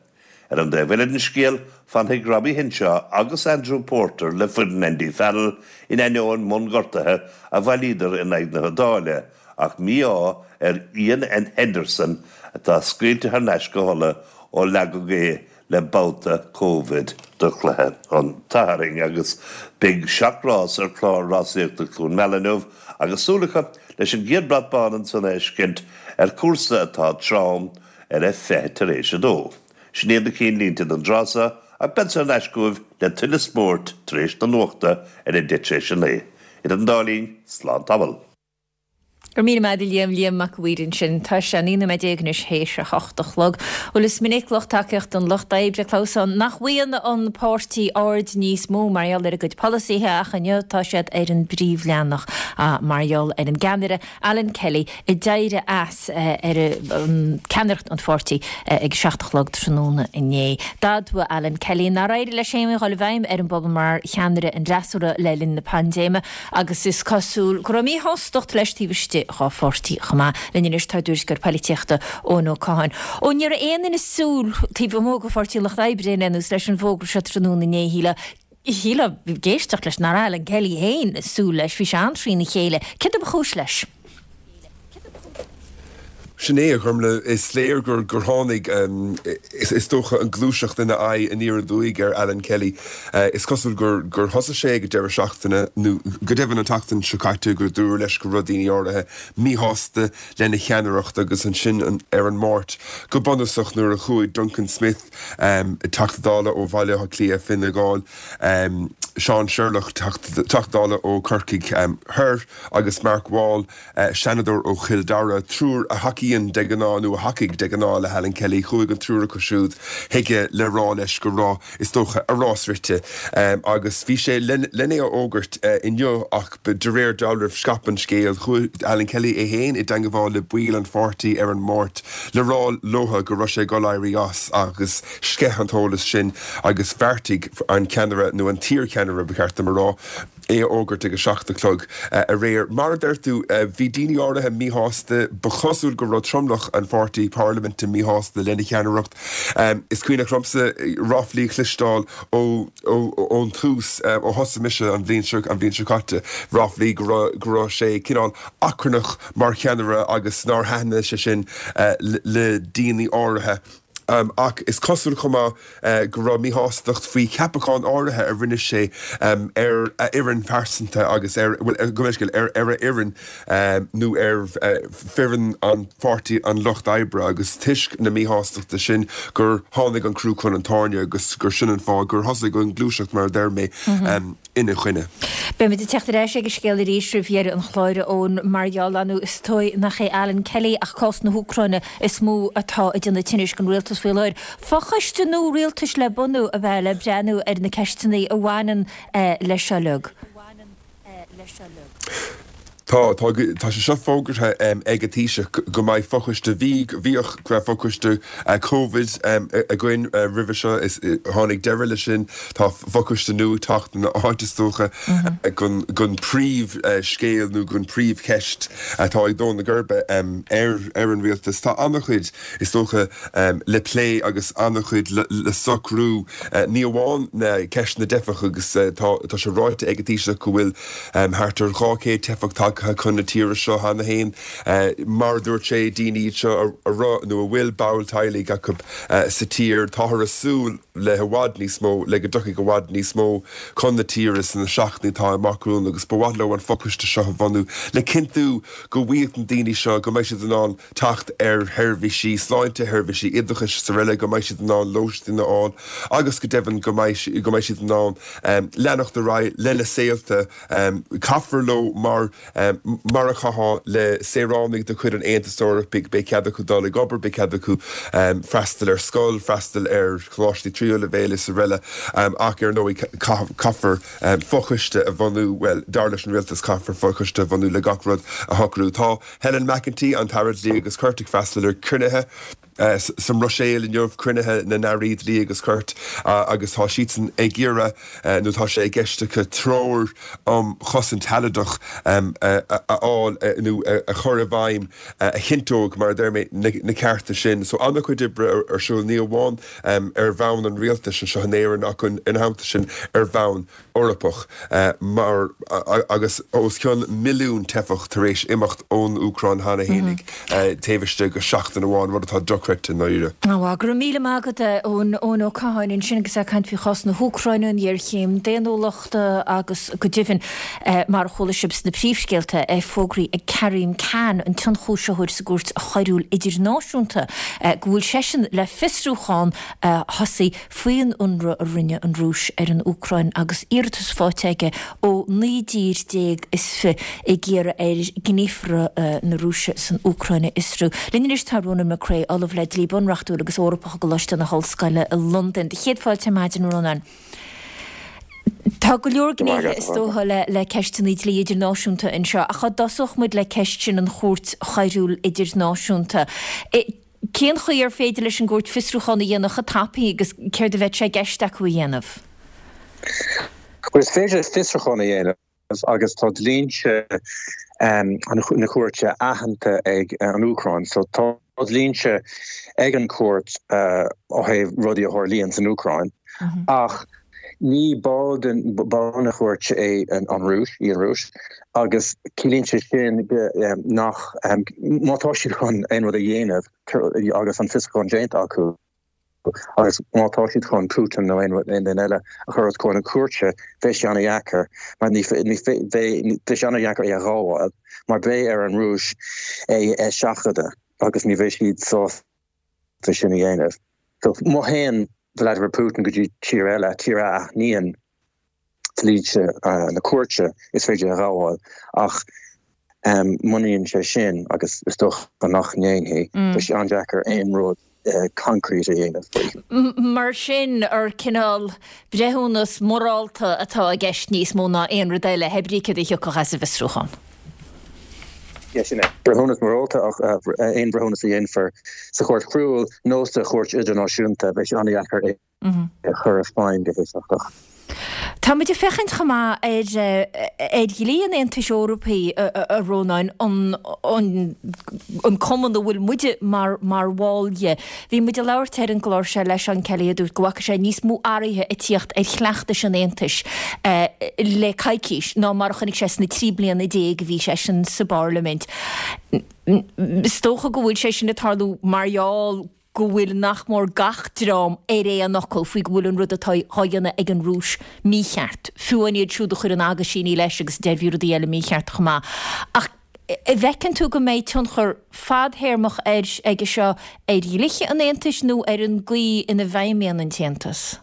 Ar an dtaobh eile den scéal, fanfaidh Robbie Henshaw agus Andrew Porter le foireann Andy Farrell in ainneoin mionghortuithe a bhailíodar in aghaidh na hIodáile ach mí-ádh ar Iain Henderson atá scaoilte thar n-ais go hUlaidh ó leagadh é le babhta Covid do chluiche an tSathairn agus beidh seacht rás ar chlár rásaíochta Chluain Meala inniu agus súil acu leis an gcéad brat bán ansan a fheiscint ar chúrsa atá trom ar a fiche tar éis a dó. Sin iad na cinnlínte don dtráth seo ach beadsa thar n-ais chugaibh le tuilleadh spóirt tar éis na nuachta ar a deich tar éis a naoi. Idir an dá linn, slán tamall. Go raibh míle maith agat a Liam, Liam Mac a' Mhaoir ansin. Tá sé naoi nóiméad déag anois théis a hocht a chlog. Bhuel is minic lucht tacaíochta an Lucht Oibre ag clamhsán nach bhfaigheann an páirtí aird níos mó mar gheall ar a gcuid polasaithe ach inniu tá siad ar an bpríomhleathanach mar gheall ar an gceannaire Alan Kelly ag éirí as ar ceannaireacht an pháirtí ag a seacht a chlog tráthnóna inné. D'admhaigh Alan Kelly nár éirigh leis aon ní a dhul i bhfeidhm ar an bpobal mar cheannaire an fhreasúra le linn na paindéime agus is cosúil go raibh míshástacht leis taobh istigh dhá pháirtí chomh maith. Linn anois tá ár dtuairisceoir polaitíochta Eoin Ó Catháin. Ó ní raibh aon duine ag súil taobh amuigh de Pháirtí an Lucht Oibre ar aon nós leis an bhfógra seo tráthnóna inné, shílfeá. Shílfeá ag éisteacht leis nach raibh Alan Kelly féin ag súil leis, bhí sé an-trína chéile. Céard a ba chúis leis? Sin é, a Ghormfhlaith, is léir gur gur tháinig, is dócha, an ghluaiseacht ina aghaidh aniar aduaidh ar Alan Kelly. Is cosúil gur gur thosaigh sé ag an deireadh seachtaine, nó go deimhin an tseachtain seo caite, gur dúradh leis go raibh daoine áirithe míshásta lena cheannaireacht agus ansin ar an Máirt, go bunúsach, nuair a chuaigh Duncan Smith, Teachta Dála ó Bhaile Átha Cliath, Fine Gall, Seán Sherlock, Teachta Dála ó Chorcaigh Thoir agus Mark Wall, Seanadóir ó Chill Dara, triúr a thacaíonn de ghnáth, nó a thacaigh de ghnáth le hAlan Kelly, chuaigh an triúr acu siúd chuige le rá leis go raibh, is dócha, a rás rite. Agus bhí sé len é a fhógairt inniu ach de réir dealraimh scaip an scéal. Chuaigh Alan Kelly é féin i dteangmháil le baill an pháirtí ar an Máirt le rá leo go raibh sé ag dul éirí as agus sceith an t-eolas sin agus bheartaigh an ceannaire, nó an t-iarcheannaire ba cheart dom a rá, é a fhógairt ag a seacht a chlog aréir. Mar a deir tú, bhí daoine áirithe míshásta, ba chosúil go raibh tromlach an pháirtí parlaiminte míshásta lena cheannaireacht. Is cuimhneach liomsa ráflaí a chloisteáil ón tús, ó thosaigh mise an bhliain seo, an bhliain seo caite, ráflaí go raibh, go raibh sé cineál achrannach mar cheannaire agus nár thaitnigh sé sin le daoine áirithe. Ach is cosúil chomh maith go raibh míshástacht faoi cheapacháin áirithe a rinne sé ar a fhoireann phearsanta agus ar, bhuel, gabh mo leithscéal, ar a fhoireann nó ar foireann an pháirtí an Lucht Oibre agus toisc na míshástachta sin gur tháinig an crú chun an tairne agus gur sin an fáth gur thosaigh an ghluaiseacht mar a deir mé. ina choinne. Beimid ag teacht ar ais ag an scéal arís roimh dheireadh an chláir, a Eoin, mar gheall ar ndóigh is dóigh nach é Alan Kelly ach cás na hÚcráine is mó atá ag déanamh tinnis don rialtas faoi láthair. Fochoiste nua rialtais le bunú a bheith le breathnú ar na ceisteanna a bhaineann leis seo uilig. Tá, tá, tá sé seo fógartha ag an Taoiseach go mbeidh fochoiste, bhí, bhíodh, go raibh fochoiste Covid againn roimhe seo, is tháinig deireadh leis sin, tá fochoiste nua ag teacht ina áit is dócha don, don príomh scéal nó don príomh cheist atá ag dó na geirbe ar, ar an rialtas. Tá an-chuid, is dócha, le plé agus an-chuid le, le socrú, ní amháin ceist na dteifeach agus tá, tá sé ráite ag an Taoiseach go bhfuil thart ar dhá chéad teifeach tagtha chun na tíre seo cheana féin. Mar a dúirt sé, daoine iad seo a raibh nó a bhfuil ball teaghlaigh acu sa tír. Táthar ag súil le i bhfad níos mó, le go dtiocfaidh i bhfad níos mó chun na tíre sna seachtainí atá amach romhainn agus ba mhaith leo an fochoiste seo a bhunú le cinntiú go bhfaighidh na daoine seo, go mbeidh siad in ann teacht ar sheirbhísí sláinte, sheirbhísí oideachais is araile, go mbeidh siad in ann lóistín a fháil agus go deimhin go mbeidh go mbeidh siad in ann leanacht ar aghaidh lena saolta. Caithfear leo mar mar a chaithfeá le saoránaigh de chuid an Aontais Eorpaigh, beidh cead acu dul ag obair, beidh cead acu freastal ar scoil, freastal ar choláistí tríú leibhéal is araile ach ar ndóigh caithfear fochoiste a bhunú, bhuel, dar leis an rialtas caithfear fochoiste a bhunú le gach rud a shocrú. Tá Helen McEntee, an tAire Dlí agus Cirt, ag freastal ar chruinnithe sa mBruiséil inniu, cruinnithe na nAirí Dlí agus Cirt, agus tá siadsan ag iarraidh, nó tá sé i gceist acu, treoir um chosaint shealadach a fháil nó a chur i bhfeidhm a chinnteoidh, mar a deir mé, na cearta sin. So an-chuid oibre ar siúl, ní amháin ar bhonn an rialtais anseo in Éirinn ach ina theannta sin ar bhonn Eorpach mar agus os cionn milliún teifeach tar éis imeacht ón Úcráin cheana fhéinig taobh istigh de sheachtain amháin, rud atá dochreidte i ndáiríre. Go raibh míle maith agat, a Eoin Ó Catháin, ansin agus é ag caint faoi chás na hÚcráine, an ghéarchéim daonnúlachta agus go deimhin, mar a chuala sibh sna príomhscéalta, é fógraithe ag Karim Khan, an t-ionchúisitheoir sa gCúirt Choiriúil Idirnáisiúnta, go bhfuil seisean le fiosrúchán a thosaí faoin ionradh a rinne an Rúis ar an Úcráin agus iarratas faighte aige ó naoi dtír déag is fiche ag iarraidh air gníomhartha na Rúise san Úcráin a fhiosrú. Linn anois tá Ronan McCrea, Ollamh le Dlí Bunreachtúil agus Eorpach i gColáiste na hOllscoile i Londain. Céad fáilte ar maidin, a Rónáin. Tá go leor gnéithe is dócha le ceisteanna dlí idirnáisiúnta anseo ach dá dtosódh muid le ceist sin an Chúirt Choiriúil Idirnáisiúnta. Cén chaoi ar féidir leis an gcúirt fiosrúchán a dhéanamh chomh tapaidh agus céard a bheadh sé i gceist acu a dhéanamh? Bhuel, is féidir fiosrúchán a dhéanamh agus tá dlínse na cúirte aitheanta ag an Úcráin. So tá dlínse ag an chúirt ó thaobh rudaí a tharlaíonn san Úcráin ach ní ball den ball na cúirte é an an Rúis í an Rúis agus ciallaíonn sé sin nach má tá siad chun aon rud a dhéanamh agus an fiosrúchán déanta acu agus má tá siad chun Putin nó aon rud aon duine eile a chur os comhair na cúirte beidh sé an-deacair mar ní beidh sé an-deacair é a ghabháil mar beidh ar an Rúis é a seachadadh agus ní bheidh siad sásta sin a dhéanamh. So má théann Vladimir Putin go dtí tír eile, tír a aithníonn dlínse na cúirte is féidir a ghabháil ach muna ndéanann sé sin agus is dócha nach ndéanfaidh, beidh sé an-deacair aon rud concrete a dhéanamh faoi. Mar sin ar cineál breithiúnas morálta atá i gceist níos mó ná aon rud eile, pé brí céard a thiocfadh as an bhfiosrúchán. Yeah, sin é. Breithiúnas morálta ach aon bhreithiúnas a dhéanfar sa chúirt choiriúil nó sa chúirt idirnáisiúnta beidh sé an-deacair é a chur i bhfeidhm go héifeachtach. Tá muid ag féachaint chomh maith ar ar dhlí an Aontais Eorpaigh a Rónáin, an an cumann a bhfuil muide mar mar bhall dhe. Bhí muid ag labhairt ar an gclár seo le Seán Kelly a dúirt go bhfaca sé níos mó athraithe ag tíocht ar chleachtais an Aontais le coicís ná mar a chonaic sé sna trí bliana déag a bhí seisean sa bParlaimint. Is dócha go bhfuil sé sin ag tarlú mar gheall go bhfuil nach mór gach dream ar aon fhocal faoi go bhfuil an rud atá á dhéanamh ag an Rúis mícheart, fiú amháin iad siúd a chuireann aguisíní leis agus a deir bhí rudaí eile mícheart chomh maith. Ach an bhfeiceann tú go mbeidh tionchar fadthéarmach air aige seo ar dhlíthe an Aontais nó ar an gcaoi ina bhfeidhmíonn an tAontas?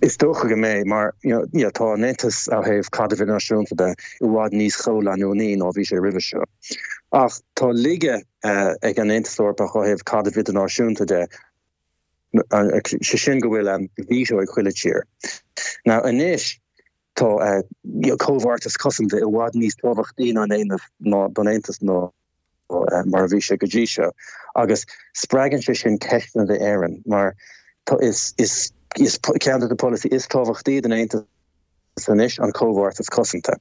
Is dócha go mbeidh mar you know, yeah, tá an Aontas ó thaobh caidreamh idirnáisiúnta de i bhfad níos comhleanúnaí ná bhí sé roimhe seo. Ach tá laige uh, ag an Aontas Eorpach ó thaobh caidreamh idirnáisiúnta de sé sin go bhfuil um, veto ag chuile tír. Now anois tá uh, comhbheartas cosanta i bhfad níos tábhachtaí ná ná don Aontas ná uh, mar a bhí sé go dtí seo. Agus spreagann sé sin ceisteanna d'Éirinn mar tá is is is ceann de na polasaithe is tábhachtaí den Aontas anois an comhbheartas cosanta.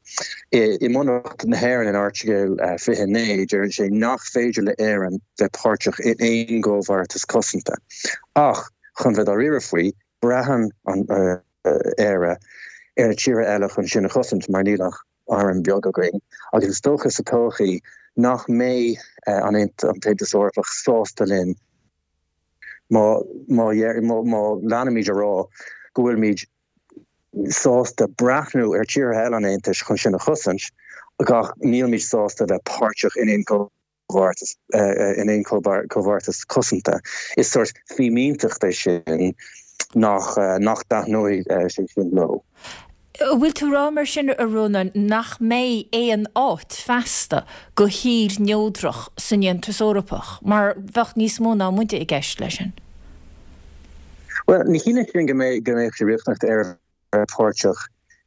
I, i mBunreacht na hÉireann in Airteagal uh, fiche naoi deireann sé nach féidir le Éirinn bheith páirteach in aon gcomhbheartas cosanta. Ach chun bheith dáiríre faoi braitheann an uh, Éire ar na tíortha eile chun sinn a chosaint mar níl ach arm beag againn, agus is dócha sa todhchaí nach mbeidh uh, an an tAontas Eorpach sásta linn má má má má leanaimid a rá go bhfuilimid sásta breathnú ar tíortha eile an Aontais chun sinn a chosaint ach nílimid sásta bheith páirteach in aon comhbheartas in aon comhbheartas cosanta. Is sort fímínteacht é sin nach nach dtaitneoidh sé sin leo. Bhfuil tú rá mar sin a Rónáin nach mbeidh aon áit feasta do thír neodrach san Aontas Eorpach, mar bheadh níos mó ná muide i gceist leis sin. Well, ní chiallaíonn sin go mbeidh go mbeidh sé riachtanach Éire páirteach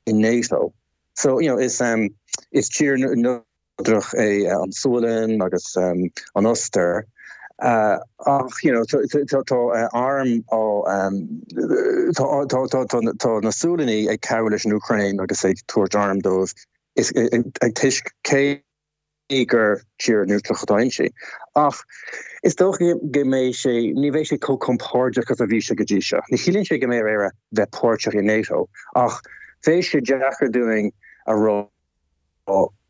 in NATO. So you know, is um, is tír neodrach é uh, an Sualainn agus um, an Ostair. Uh, ach you know, tá uh, arm á um, tá na Sualannaigh ag cabhrú leis an Úcráin agus ag tabhairt arm dóibh is ag toisc cé gur tír neodrach atá inti. Ach is dócha go mbeidh sé ní bheidh sé chomh compordach agus a bhí sé go dtí seo. Ní chiallaíonn sé go mbeidh Éire bheith páirteach in NATO ach bheadh sé deacair dúinn a rá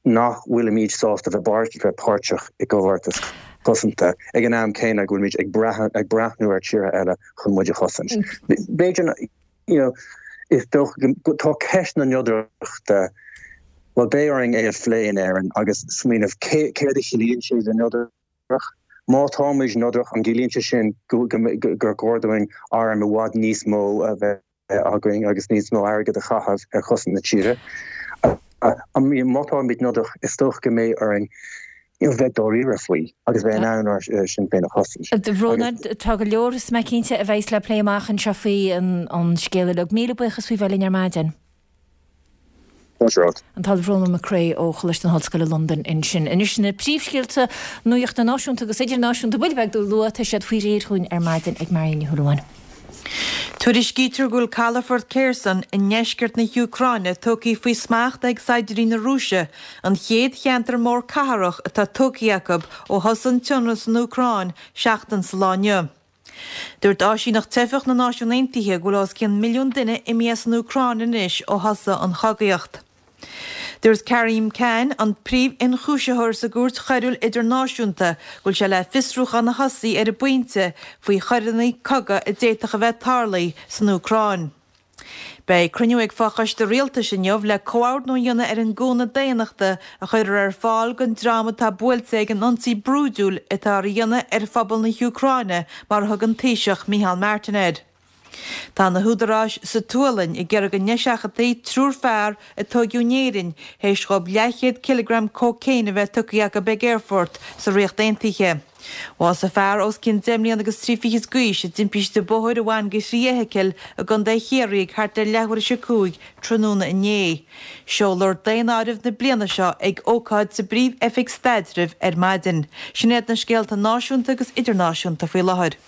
nach bhfuilimid sásta bheith bheith páirteach i gcomhbheartas cosanta ag an am céanna go bhfuilimid ag ag breathnú ar tíortha eile chun muid a chosaint. B'fhéidir you know, is tá ceist na neodrachta well beidh orainn é a phlé in Éirinn agus smaoineamh céard a chiallaíonn sé bheith neodrach. Má táimid neodrach an gciallaíonn sé sin gur chóir dúinn arm i bhfad níos mó a bheith againn agus níos mó airgead a chaitheamh ar chosaint na tíre. Má táimid neodrach is dócha go mbeidh orainn bheith dáiríre faoi agus bheith in ann ár sinn féin a chosaint. Rónán tá go leor is mé cinnte a bheas le plé amach anseo faoi an scéal uilig. Míle buíochas faoi bheith linn ar maidin. An tOllamh Rónán Mac Craith ó Choláiste na hOllscoile Londain ansin. Anois na príomhscéalta nuachta náisiúnta agus idirnáisiúnta buille beag luath tá siad faoi réir chugainn ar maidin ag Marion Ní Shúilleabháin. Tuairiscítear go bhfuil calafort Kherson i ndeisceart na hÚcráine tugtha faoi smacht ag saighdiúirí na Rúise, an chéad cheantar mór cathrach atá tugtha acu ó thosaigh an t-ionradh san Úcráin seachtain sa lá inniu. Dúirt Áisíneacht Teifeach na Náisiún Aontaithe go bhfuil os cionn milliún duine imithe as an Úcráin anois ó thosaigh an chogaíocht. Dúirt Karim Khan, an príomh-ionchúisitheoir sa gCúirt Choiriúil Idirnáisiúnta, go bhfuil sé le fiosrúchán a thosaí ar an bpointe faoi choireanna cogaidh a d'fhéadfadh a bheith tarlaithe san Úcráin. Beidh cruinniú ag Fochoiste Rialtais inniu le comhordnú a dhéanamh ar an gcúnamh daonnachta a chuirfear ar fáil don dream atá buailte ag an ionsaí brúidiúil atá á dhéanamh ar phobal na hÚcráine, mar a thug an Taoiseach Micheál Martin air. Tá na húdaráis sa tSualainn ag iarraidh go n-eiseachadfaí triúr fear a tóigeadh in Éirinn théis dhóibh leathchéad cileagram cócaon a bheith tugtha acu ag aerfort sa Ríocht Aontaithe. Bhásaigh fear os cionn deich mbliana agus trí fichid d'aois i dtimpiste bóthair a bhain go thrí fheithicil i gContae Chiarraí ag thart ar leathuair théis a cúig tráthnóna inné. Seolfar daonáireamh na bliana seo ag ócáid sa bPríomh-Oifig Staidrimh ar maidin. Sin iad na scéalta náisiúnta agus idirnáisiúnta faoi láthair.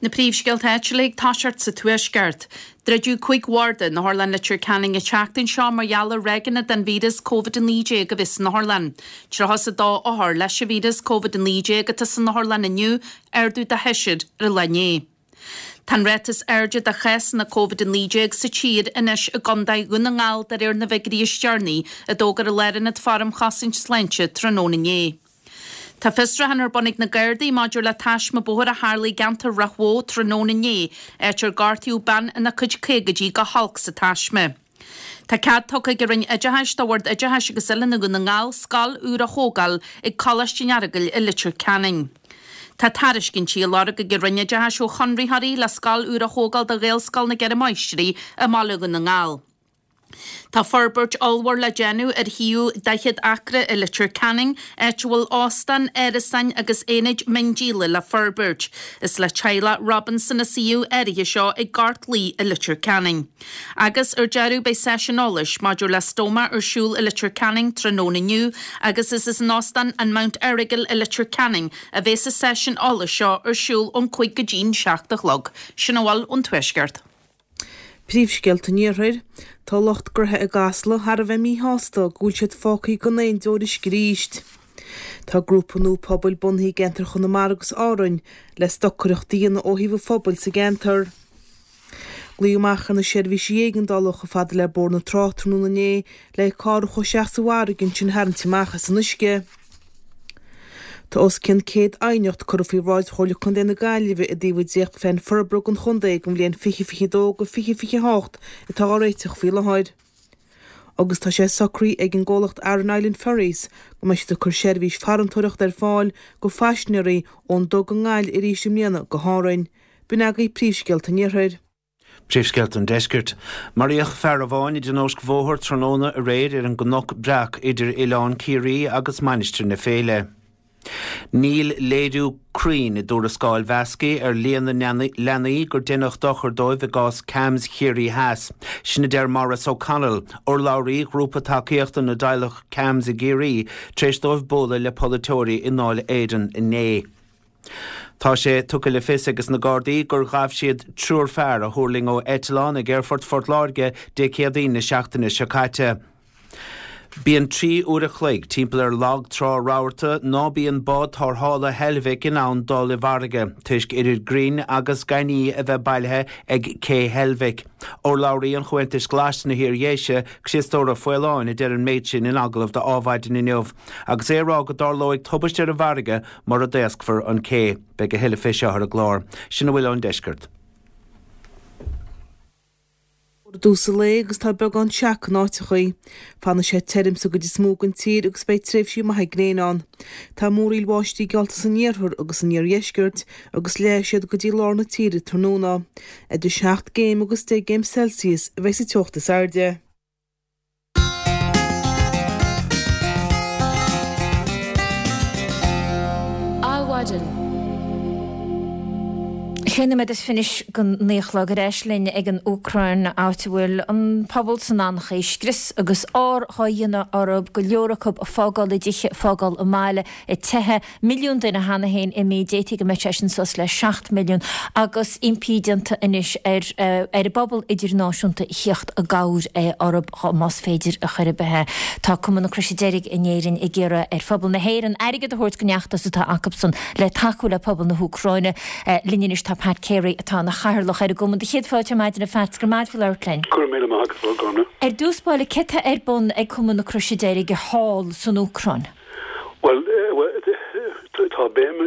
Na príomhscéalta áitiúla ag toiseacht sa Tuaisceart. Druideadh cúig bharda in Otharlann Leitir Ceanainn an tseachtain seo mar gheall ar ráigeanna den víreas Covid a naoi déag a bhí san otharlann. Tríocha is a dó othar leis an víreas Covid a naoi déag atá san otharlann inniu, ardú de sheisear ar an lá inné. Tá an ráta is airde de chásanna Covid a naoi déag sa tír anois i gContae Dhún na nGall de réir na bhfigiúirí is deireanaí a d'fhógair an Lárionad Faire um Chosaint Sláinte tráthnóna inné. Tá fiosrúchán ar bun ag na Gardaí maidir le taisme bóthair a tharla i gceantar Ráth Bhoth tráthnóna inné, áit ar gortaíodh bean ina cuid caogaidí go holc sa taisme. Tá cead tugtha ag an Roinn Oideachais do Bhord Oideachais agus Oiliúna Dhún na nGall scoil úr a thógáil ag Coláiste an Earagail i Leitir Ceanainn. Tá tairiscintí á lorg ag an Roinn Oideachais ó chonraitheoirí le scoil úr a thógáil do Ghaelscoil na gCeithre Máistrí i mBaile Dhún na nGall. Tá forbairt ollmhór le déanamh ar shuíomh daichead acra i Leitir Ceanainn, áit a bhfuil óstán, árasáin agus aonaid miondíola le forbairt. Is le teaghlach Robinson an suíomh áirithe seo ag Gort Laoi i Leitir Ceanainn. Agus ar deireadh beidh seisiún eolais maidir le stóma ar siúl i Leitir Ceanainn tráthnóna inniu agus is in Óstán an Mount Errigal i Leitir Ceanainn a bheas an seisiún eolais seo ar siúl ón cúig go dtí'n seacht a chlog. Sin a bhfuil ón Tuaisceart. Príomhscéalta an Iarthair, Tá lucht gnoithe i gCasla thar a bheith míshásta go bhfuil siad fágtha gan aon deoir uisce arís. Tá grúpa nua pobail bunaithe i gceantar Chonamara agus Árainn le stocaireacht a dhéanamh ó thaobh an phobail sa gceantar. Glaodh amach ar na seirbhísí éigeandála chomh fada le Bóthar na Trá tráthnóna inné le carr a chuaigh isteach sa bhfarraige ansin a tharraingt amach as an uisce. Tá os cionn céad aighneacht curtha faoi bhráid Chomhairle Contae na Gaillimhe i dtaobh an dréachtphlean forbartha don chontae don bhliain fiche fiche dó go fiche fiche hocht atá á réiteach faoi láthair. Agus tá sé socraithe ag an gcomhlacht Aran Island Ferries go mbeidh siad ag cur seirbhís farantóireachta ar fáil go phaisinéirí ón dTug i nGaillimh arís i mbliana go hÁrainn. B'in agaibh príomhscéalta an Iarthair. Príomhscéalta an Deiscirt. Maraíodh fear amháin i dtionóisc bhóthair tráthnóna aréir ar an gCnoc Breac idir Oileán Ciarraí agus Mainistir na Féile. Níl léiriú cruinn i dtuarascáil Mheascaí ar líon na leanaí gur deineadh dochar dóibh i gcás CAMHS Chiarraí Theas. Sin a deir Maurice O'Connell, urlabhraí ghrúpa tacaíochta na dteaghlach CAMHS i gCiarraí, tar éis dóibh bualadh le polaiteoirí i nDáil Éireann inné. Tá sé tugtha le fios ag na Gardaí gur ghabh siad triúr fear a thuirling ó eitleán ag Aerfort Phort Láirge Dé Céadaoin na seachtaine seo caite. Bíonn trí uair a chloig timpeall ar Lag Trá Rabharta ná bíonn bád tarrthála Heilbhic in ann dul i bhfarraige, toisc oiread grinn agus gainní a bheith bailithe ag cé Heilbhic. Urlabhraí an Chomhaontais Ghlais sna hIar-Dhéise, Criostóir Ó Faoláin, a deir an méid sin in agallamh do Adhmhaidin inniu, agus é ag rá go dtarlóidh tubaist ar an bhfarraige mura dtaoscfar an cé. Beidh a thuilleadh fé seo ar an gclár. Sin a bhfuil ón deisceart. I dtús an lae agus tá beagán seaca in áiteachaí. Fanfaidh sé tirim sa gcuid is mó den tír agus beidh tréimhsí maithe gréine ann. Tá múraíl bháistí geallta san iarthar agus san iardheisceart agus leáfaidh siad go dtí lár na tíre tráthnóna. Idir seacht gcéim agus deich gcéim Celsius a bheidh sa teocht is airde. Adhmhaidin. Sé nóiméad is fiche go naoi a chlog ar ais linn ag an Úcráin, áit a bhfuil an pobal san anchaoi, scrios agus ár dhá dhéanamh orthu, go leor acu ag fágáil a dtithe, ag fágáil a mbaile, ag teitheadh. Milliún duine cheana féin imithe, d'fhéadfaí go mbeadh sé sin suas le seacht milliún, agus impí déanta anois ar ar an bpobal idirnáisiúnta theacht i gcabhair orthu más féidir a chor ar bith. Tá Cumann na Croise Deirge in Éirinn ag iarraidh ar phobal na hÉireann airgead a thabhairt don fheachtas atá acusan le tacú le pobal na hÚcráine. Linn anois tá Pat Carey atá ina chathaoirleach ar an gcumann. Do chéad fáilte ar maidin a Phat, go raibh maith agat faoi labhairt linn. Go raibh míle maith agat, a Ghormfhlaith. Ar dtús báire, céard tá ar bun ag Cumann na Croise Deirge thall san Úcráin? Bhuel, tá béim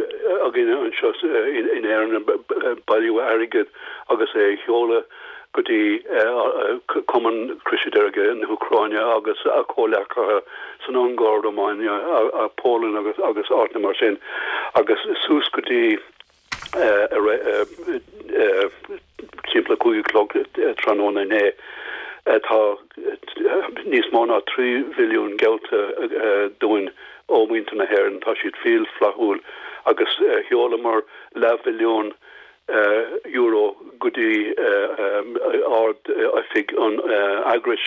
againn anseo in Éirinn ar bailiú airgid agus é a sheoladh go dtí Cumann Croise Deirge na hÚcráine agus a comhleacaithe san Ungáir, Rómáine, Polainn agus agus áiteanna mar sin agus suas go dtí timpeall a cúig a chlog tráthnóna inné. Tá níos mó ná trí mhilliún geallta dúinn ó mhuintir na hÉireann. Tá siad fial flaithiúil agus sheolamar leathmhilliún euro go dtí Ard-Oifig an eagrais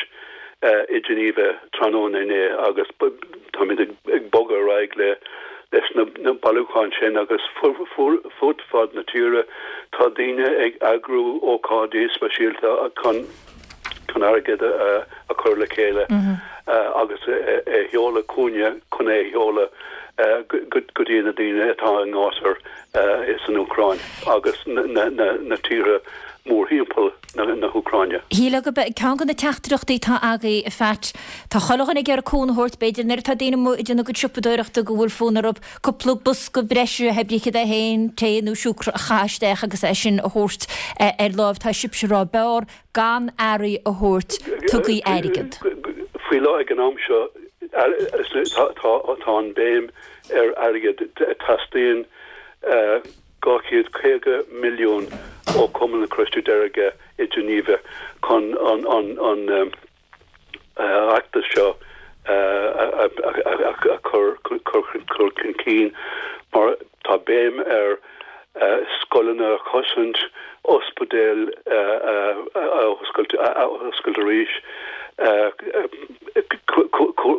i Geneva tráthnóna inné agus táimid ag bogadh ar aghaidh le leis na bailiúcháin sin agus fud fad na tíre tá daoine ag eagrú ócáidí speisialta chun chun airgead a chur le chéile agus é a sheoladh chugainne chun é a sheoladh go dtí na daoine atá i ngátar san Úcráin agus na tíortha mórthimpeall na hÚcráine. Shílfeá gurb é ceann de na teachtaireachtaí atá agaibh, a Phat, tá chuile dhuine ag iarraidh cúnamh a thabhairt, b'fhéidir nuair atá daoine amuigh ag déanamh a gcuid siopadóireachta go bhfuil fonn orthu cúpla bosca breise, hé brí céard é féin, tae nó siúcra a chaitheamh isteach agus é sin a thabhairt ar láimh. Tá sibhse ag rá b'fhearr gan earraí a thabhairt, tugaigí airgead. Faoi láthair ag an am seo tá an béim ar airgead. Teastaíonn dhá chéad caoga milliún ó Chumann na Croise Deirge i Geneva chun an feachtas seo a chur chun cinn mar tá béim ar scoileanna a chosaint, ospidéil a oscailt arís,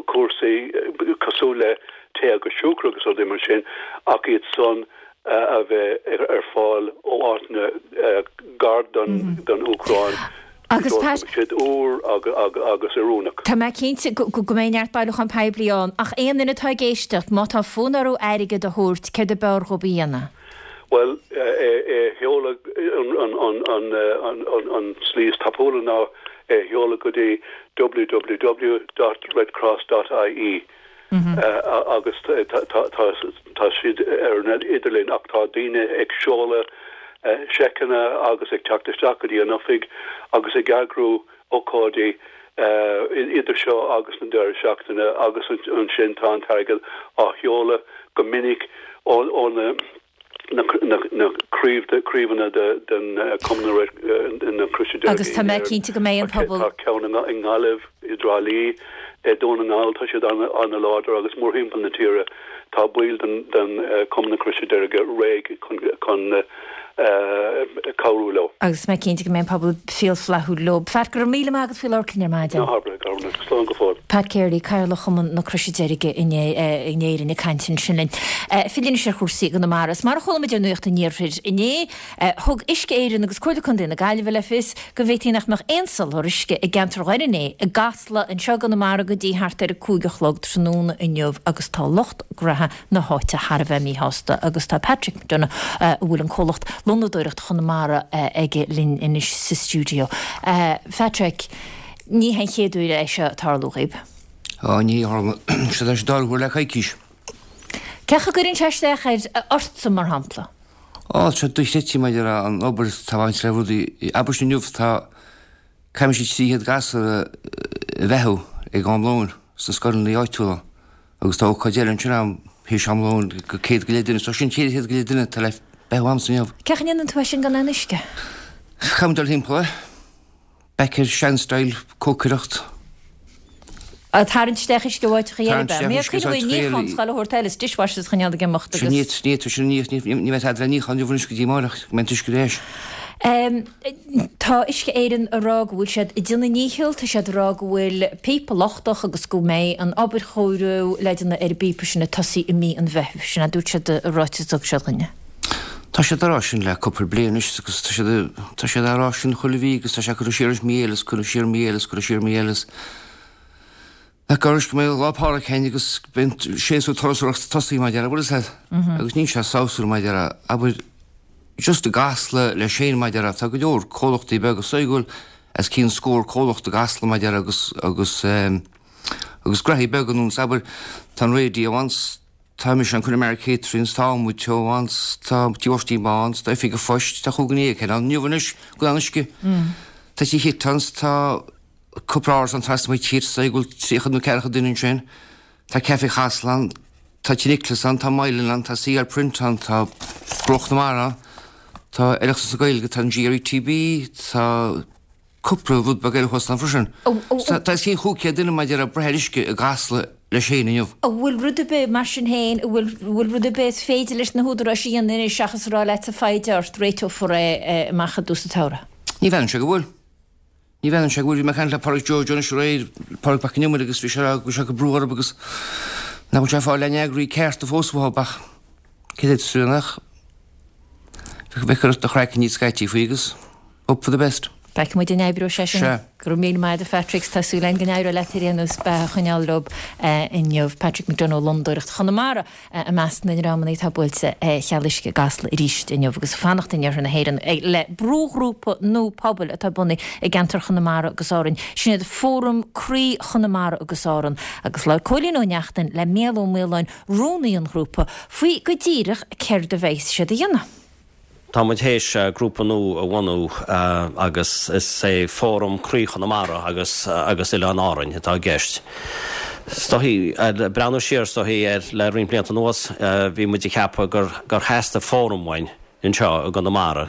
cúrsaí cosúil le tae agus siúcra agus rudaí mar sin ach iad san a bheith ar fáil ó áiteanna gar don Úcráin Agus Pat, siad úr agus oiriúnach. Tá mé cinnte go mbeidh neart bailiúchán poiblí ann, ach aon duine atá ag éisteacht, má tá fonn orthu airgead a thabhairt, céard ab fhearr dhóibh a dhéanamh? Bhuel, é a sheoladh, an tslí is tapúla ná é a sheoladh go dtí www dot redcross dot ie. agus tá siad ar an idirlíon ach tá daoine ag seoladh seiceanna agus ag teacht isteach go dtí an oifig agus ag eagrú ócáidí idir seo agus an deireadh seachtaine agus ansin tá an t-airgead á sheoladh go minic ó na na craobhanna den Chumann na Croise Deirge. Agus tá mé cinnte go mbeidh an pobal. Tá ceann i nGaillimh, i dTrá Lí, i Dún na nGall, tá siad an-láidir agus mórthimpeall na tíre tá baill den Chumann na Croise Deirge réidh chun cabhrú leo. Agus tá mé cinnte go mbeidh an pobal fial flaithiúil leo. Pat, go raibh míle maith agat faoi labhairt linn ar maidin. Ná habair, a Ghormfhlaith. Slán go fóill. Pat Carey, Cathaoirleach Chumann na Croise Deirge in Éirinn ag caint ansin linn. Filleadh anois ar chúrsaí i gConamara. Is mar a chuala muid ar Nuacht an Iarthair inné, thug Uisce Éireann agus Comhairle Contae na Gaillimhe le fios go bhféadfaí nach mbeadh aon soláthar uisce i gceantar Dhoire an Fhé i gCasla anseo i gConamara go dtí thart ar a cúig a chlog tráthnóna inniu agus tá lucht gnaithe na háite thar a bheith míshásta agus tá Patrick McDonagh, a bhfuil an comhlacht Lonnadóireacht Chonamara aige linn anois sa stiúideo. Phatrick, ní hé an chéad uair é seo ag tarlú dhaoib? Á, ní tharla sé leis an dara huair le coicís. Cén chaoi a gcuireann sé isteach ar ortsa, mar shampla? Á, tá sé dochreidte maidir le an obair atá baint le rudaí. Abair inniu tá caithfidh siad trí chéad gasúr a bheathú ag am lóin sna scoileanna áitiúla agus tá ócáid eile ansin am théis am lóin go céad go leith duine. So sin ceithre chéad go leith duine atá le beathú a'msa inniu. Cén chaoi a ndéanann tú é sin gan aon uisce? Caithfidh muid dul timpeall, eh? Back ar sean-style cócaireacht. Ag tarraingt isteach uisce ó áiteacha eile ab ea? Mé ag cuimhneamh ar níochán is chuile shórt eile, is dishwashers a choinneáil ag imeacht agus. Sin iad, ní tá sin ní ní bheidh tada le níochán inniu anois go dtí amárach, go mbeidh an t-uisce ar ais. Tá Uisce Éireann ag rá go bhfuil siad ag déanamh a ndícheall, tá siad ag rá go bhfuil píopa lochtach agus go mbeidh an obair chóiriú le déanamh ar an bpíopa sin ag tosaí i mí an Mheithimh. Sin a dúirt siad i ráiteas a thug siad dhúinne. Tá siad á rá sin le cúpla bliain anois agus tá siad tá siad á rá sin chuile mhí agus tá sé curtha siar anois mí eile is curtha siar mí eile is curtha siar mí eile is nach gcuirfidh go mbeidh Lá Pádraig féin agus beidh an séasúr turasóireachta tosaithe mar a déarfá, bhfuil fhios a'd? Agus níl sé sásúil mar a déarfá, abair, just i gCasla leis féin mar a déarfá, tá go leor comhlachtaí beaga, is dóigh go bhfuil os cionn scór comhlacht i gCasla mar a déarfá agus, agus ehm, agus gnoithí beaga nó abair, tá an radio ann, tá mise an Connemara Catering, tá Muid Teo ann, tá Tí Mháirtín Bán, tá Oifig an Phoist, tá chúig nó sé ann inniu anois, go an uisce. Tá Tí Hittons, tá cúpla árasán trasna mo tír, is dóigh go bhfuil tríocha nó ceathracha duine ansin. Tá Café Chasla ann, tá Tí Nicholas ann, tá Mylan ann, tá CL Print ann, tá Bruach na Mara ann, tá Oireachtas na Gaeilge, tá an GRETB, tá cúpla rud beag eile thuas ann freisin. Tá os cionn chúig chéad duine maidir le breith ar uisce i gCasla leis féin inniu. An bhfuil rud ar bith, mar sin féin, an bhfuil, bhfuil rud ar bith is féidir leis na húdaráis a dhéanamh anois seachas a rá leat foighid ort, réiteofar é amach i dtús an tsamhraidh? Ní mheasann sé go bhfuil. Ní mheasann sé go bhfuil. Bhí mé ag caint le Pádraig Joe Joe anois aréir, Pádraig Mac Con Iomaire agus bhí sé ag rá go bhfuil sé ag brú orthu agus nach bhfuil sé ag fáil aon fhreagraí cearta fós uathu ach cé a d'fhéadfas nach bheith ag cur do chraiceann níos scaití faoi agus hope for the best. Feicfidh muid an oibreoidh sé sin. Sea. Go raibh míle maith agat a Phatrick, tá súil againn go n-éireoidh leat ar aon nós beatha a choinneáil leo inniu. Patrick McDonagh ó Londóireacht Chonamara i measc na ndreamanna atá buailte cheal uisce i gCasla arís inniu agus ag fanacht in iarthar na hÉireann le brúghrúpa nua pobail atá bunaithe i gceantar Chonamara agus Árann. Sin iad Fóram Croí Chonamara agus Árann agus labhair Cóilín Ó Neachtain le Mícheál Ó Maoláin, rúnaí an ghrúpa, faoi go díreach céard a bheas siad a dhéanamh. Tá muid théis grúpa nua a bhunú agus is é Fóram Croí Chonamara agus agus Oileáin Árainn atá i gceist. Is dóichí, breathnú siar is dóichí ar le roinnt blianta anuas, bhí muid ag ceapadh gur gur theastaigh fóram uainn anseo i gConamara,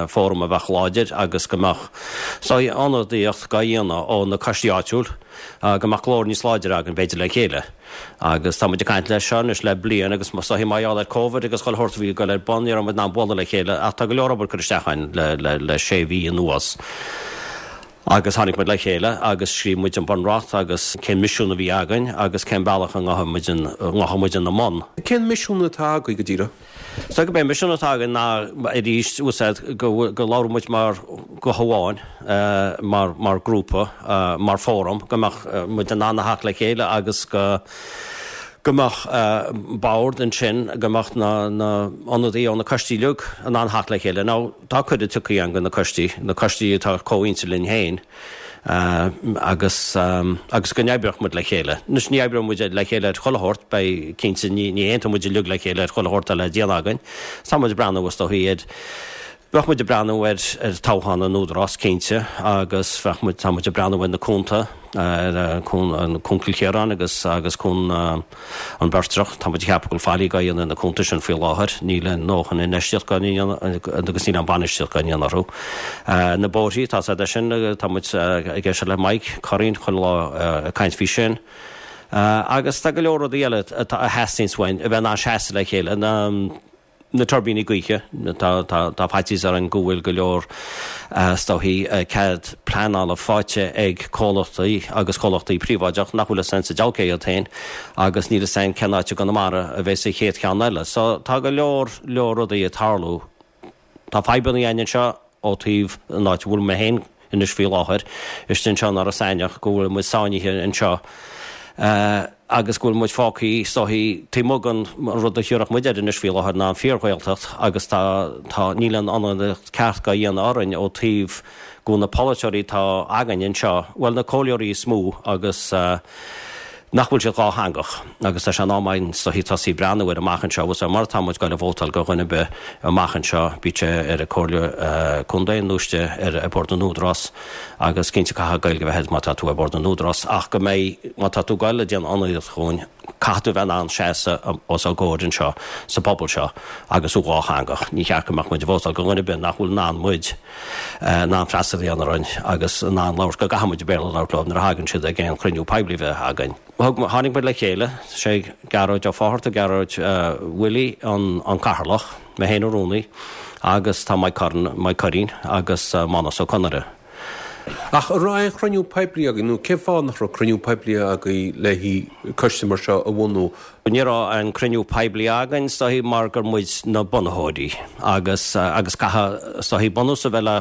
fóram a bheadh láidir agus go mbeadh is dóichí ionadaíocht dhá dhéanamh ó na coistí áitiúil, go mbeadh glór níos láidre againn b'fhéidir le chéile. Agus tá muid ag caint leis seo anois le bliain agus is dóichí mar gheall ar Covid agus chuile shórt a bhí ag dul ar bun, ní raibh muid in ann bualadh le chéile ach tá go leor obair curtha isteach againn le, le, le sé mhí anuas. Agus tháinig muid le chéile agus scríobh muid an bunreacht agus cén misiún a bhí againn agus cén bealach a ngabhfaidh muid, ngabhfaidh muid ina mbun. Cén misiún atá agaibh go díreach? Is dóigh gurb é an misiún atá againn ná arís úsáid go go labhróidh muid mar guth amháin, mar mar grúpa, mar fóram, go mbeadh muid in ann a theacht le chéile agus go go mbeadh bord ansin, go mbeadh na na ionadaí ó na coistí uilig in ann theacht le chéile. Now tá cuireadh tugtha againn go na coistí, na coistí atá comhroinnte linn féin. agus agus go n-oibreodh muid le chéile. Anois ní oibreoidh muid le chéile ar chuile shórt, beidh, cinnte, ní ní aontóidh muid uilig le chéile ar chuile shórt atá le déanamh againn. Tá muid ag breathnú is dóichí ar, bheadh muid ag breathnú ar ar toghchán an Údarás, cinnte, agus bheadh muid, tá muid ag breathnú ar na cuanta, ar cuan, an Cuan Chill Chiaráin agus agus cuan an Beirtreach. Tá muid ag ceapadh go bhfuil faillí dhá dhéanamh ar na cuanta sin faoi láthair. Níl a ndóthain infheistíocht dhá ndéanamh agus níl aon bainistíocht dhá ndéanamh orthu. Na bóithrí, tá siad sin, tá muid ag éisteacht le Mike Currane chuile lá ag caint faoi sin. Agus tá go leor rudaí eile atá a theastaíonns uainn a bheith in ann seasamh le chéile. Na. Na tuirbíní gaoithe, tá tá faitíos orainn go bhfuil go leor is dóichí cead pleanála faighte ag comhlachtaí agus comhlachtaí príobháideach nach bhfuil fhios a'inn sa diabhal cé hiad féin agus níl fhios a'inn cén áit i gConamara a bheas an chéad cheann eile. So tá go leor leor rudaí ag tarlú. Tá fadhbanna againn anseo ó taobh an áit a bhfuil mé féin anois faoi láthair, istigh anseo in Iorras Aithneach, go bhfuil muid sáinnithe anseo agus go bhfuil muid fágtha is dóichí taobh amuigh den rud a thiúrfadh muid air anois faoi láthair ná an fíor-Ghaeltacht agus tá, tá, níl an ionadaíocht ceart dhá dhéanamh orainn ó taobh go bhfuil na polaiteoirí atá againn anseo, bhuel na comhairleoirí is mó agus nach bhfuil siad dhátheangach agus tá sé in am againn is dóichí tosaí breathnú air amach anseo agus mar atá muid ag goil a vótáil go dhuine ar bith amach anseo bíodh sé ar an Comhairle Contae nó istigh ar Bhord na nÚdarás agus cinnte caithfidh Gaeilge a bheith agat má tá tú ar Bhord na nÚdarás ach go mbeidh má tá tú ag goil a déanamh ionadaíocht dhúinn Caithfidh tú bheith in ann seasamh os ár gcomhair anseo sa bpobal seo agus tú dhátheangach. Ní cheart go mbeadh muid ag vótáil do dhuine ar bith nach bhfuil in ann muid in ann freastal a dhéanamh orainn agus in ann labhairt, go gcaithfidh muid Béarla a labhairt leo nuair a thagann siad ag aon chruinniú poiblí a bheith againn. Tháinig muid le chéile, sé Gearóid Ó Fátharta, Gearóid Willie an cathaoirleach, mé féin an rúnaí agus tá Mike Curran, Mike Curreen agus Mánas Ó Conaire. Ach an raibh aon chruinniú poiblí agaibh nó cén fáth nach raibh cruinniú poiblí agaibh le haghaidh coiste mar seo a bhunú? Ní raibh aon cruinniú poiblí againn is dóichí mar gur muid na bunaitheoirí agus agus caithfidh is dóichí bunús a bheith le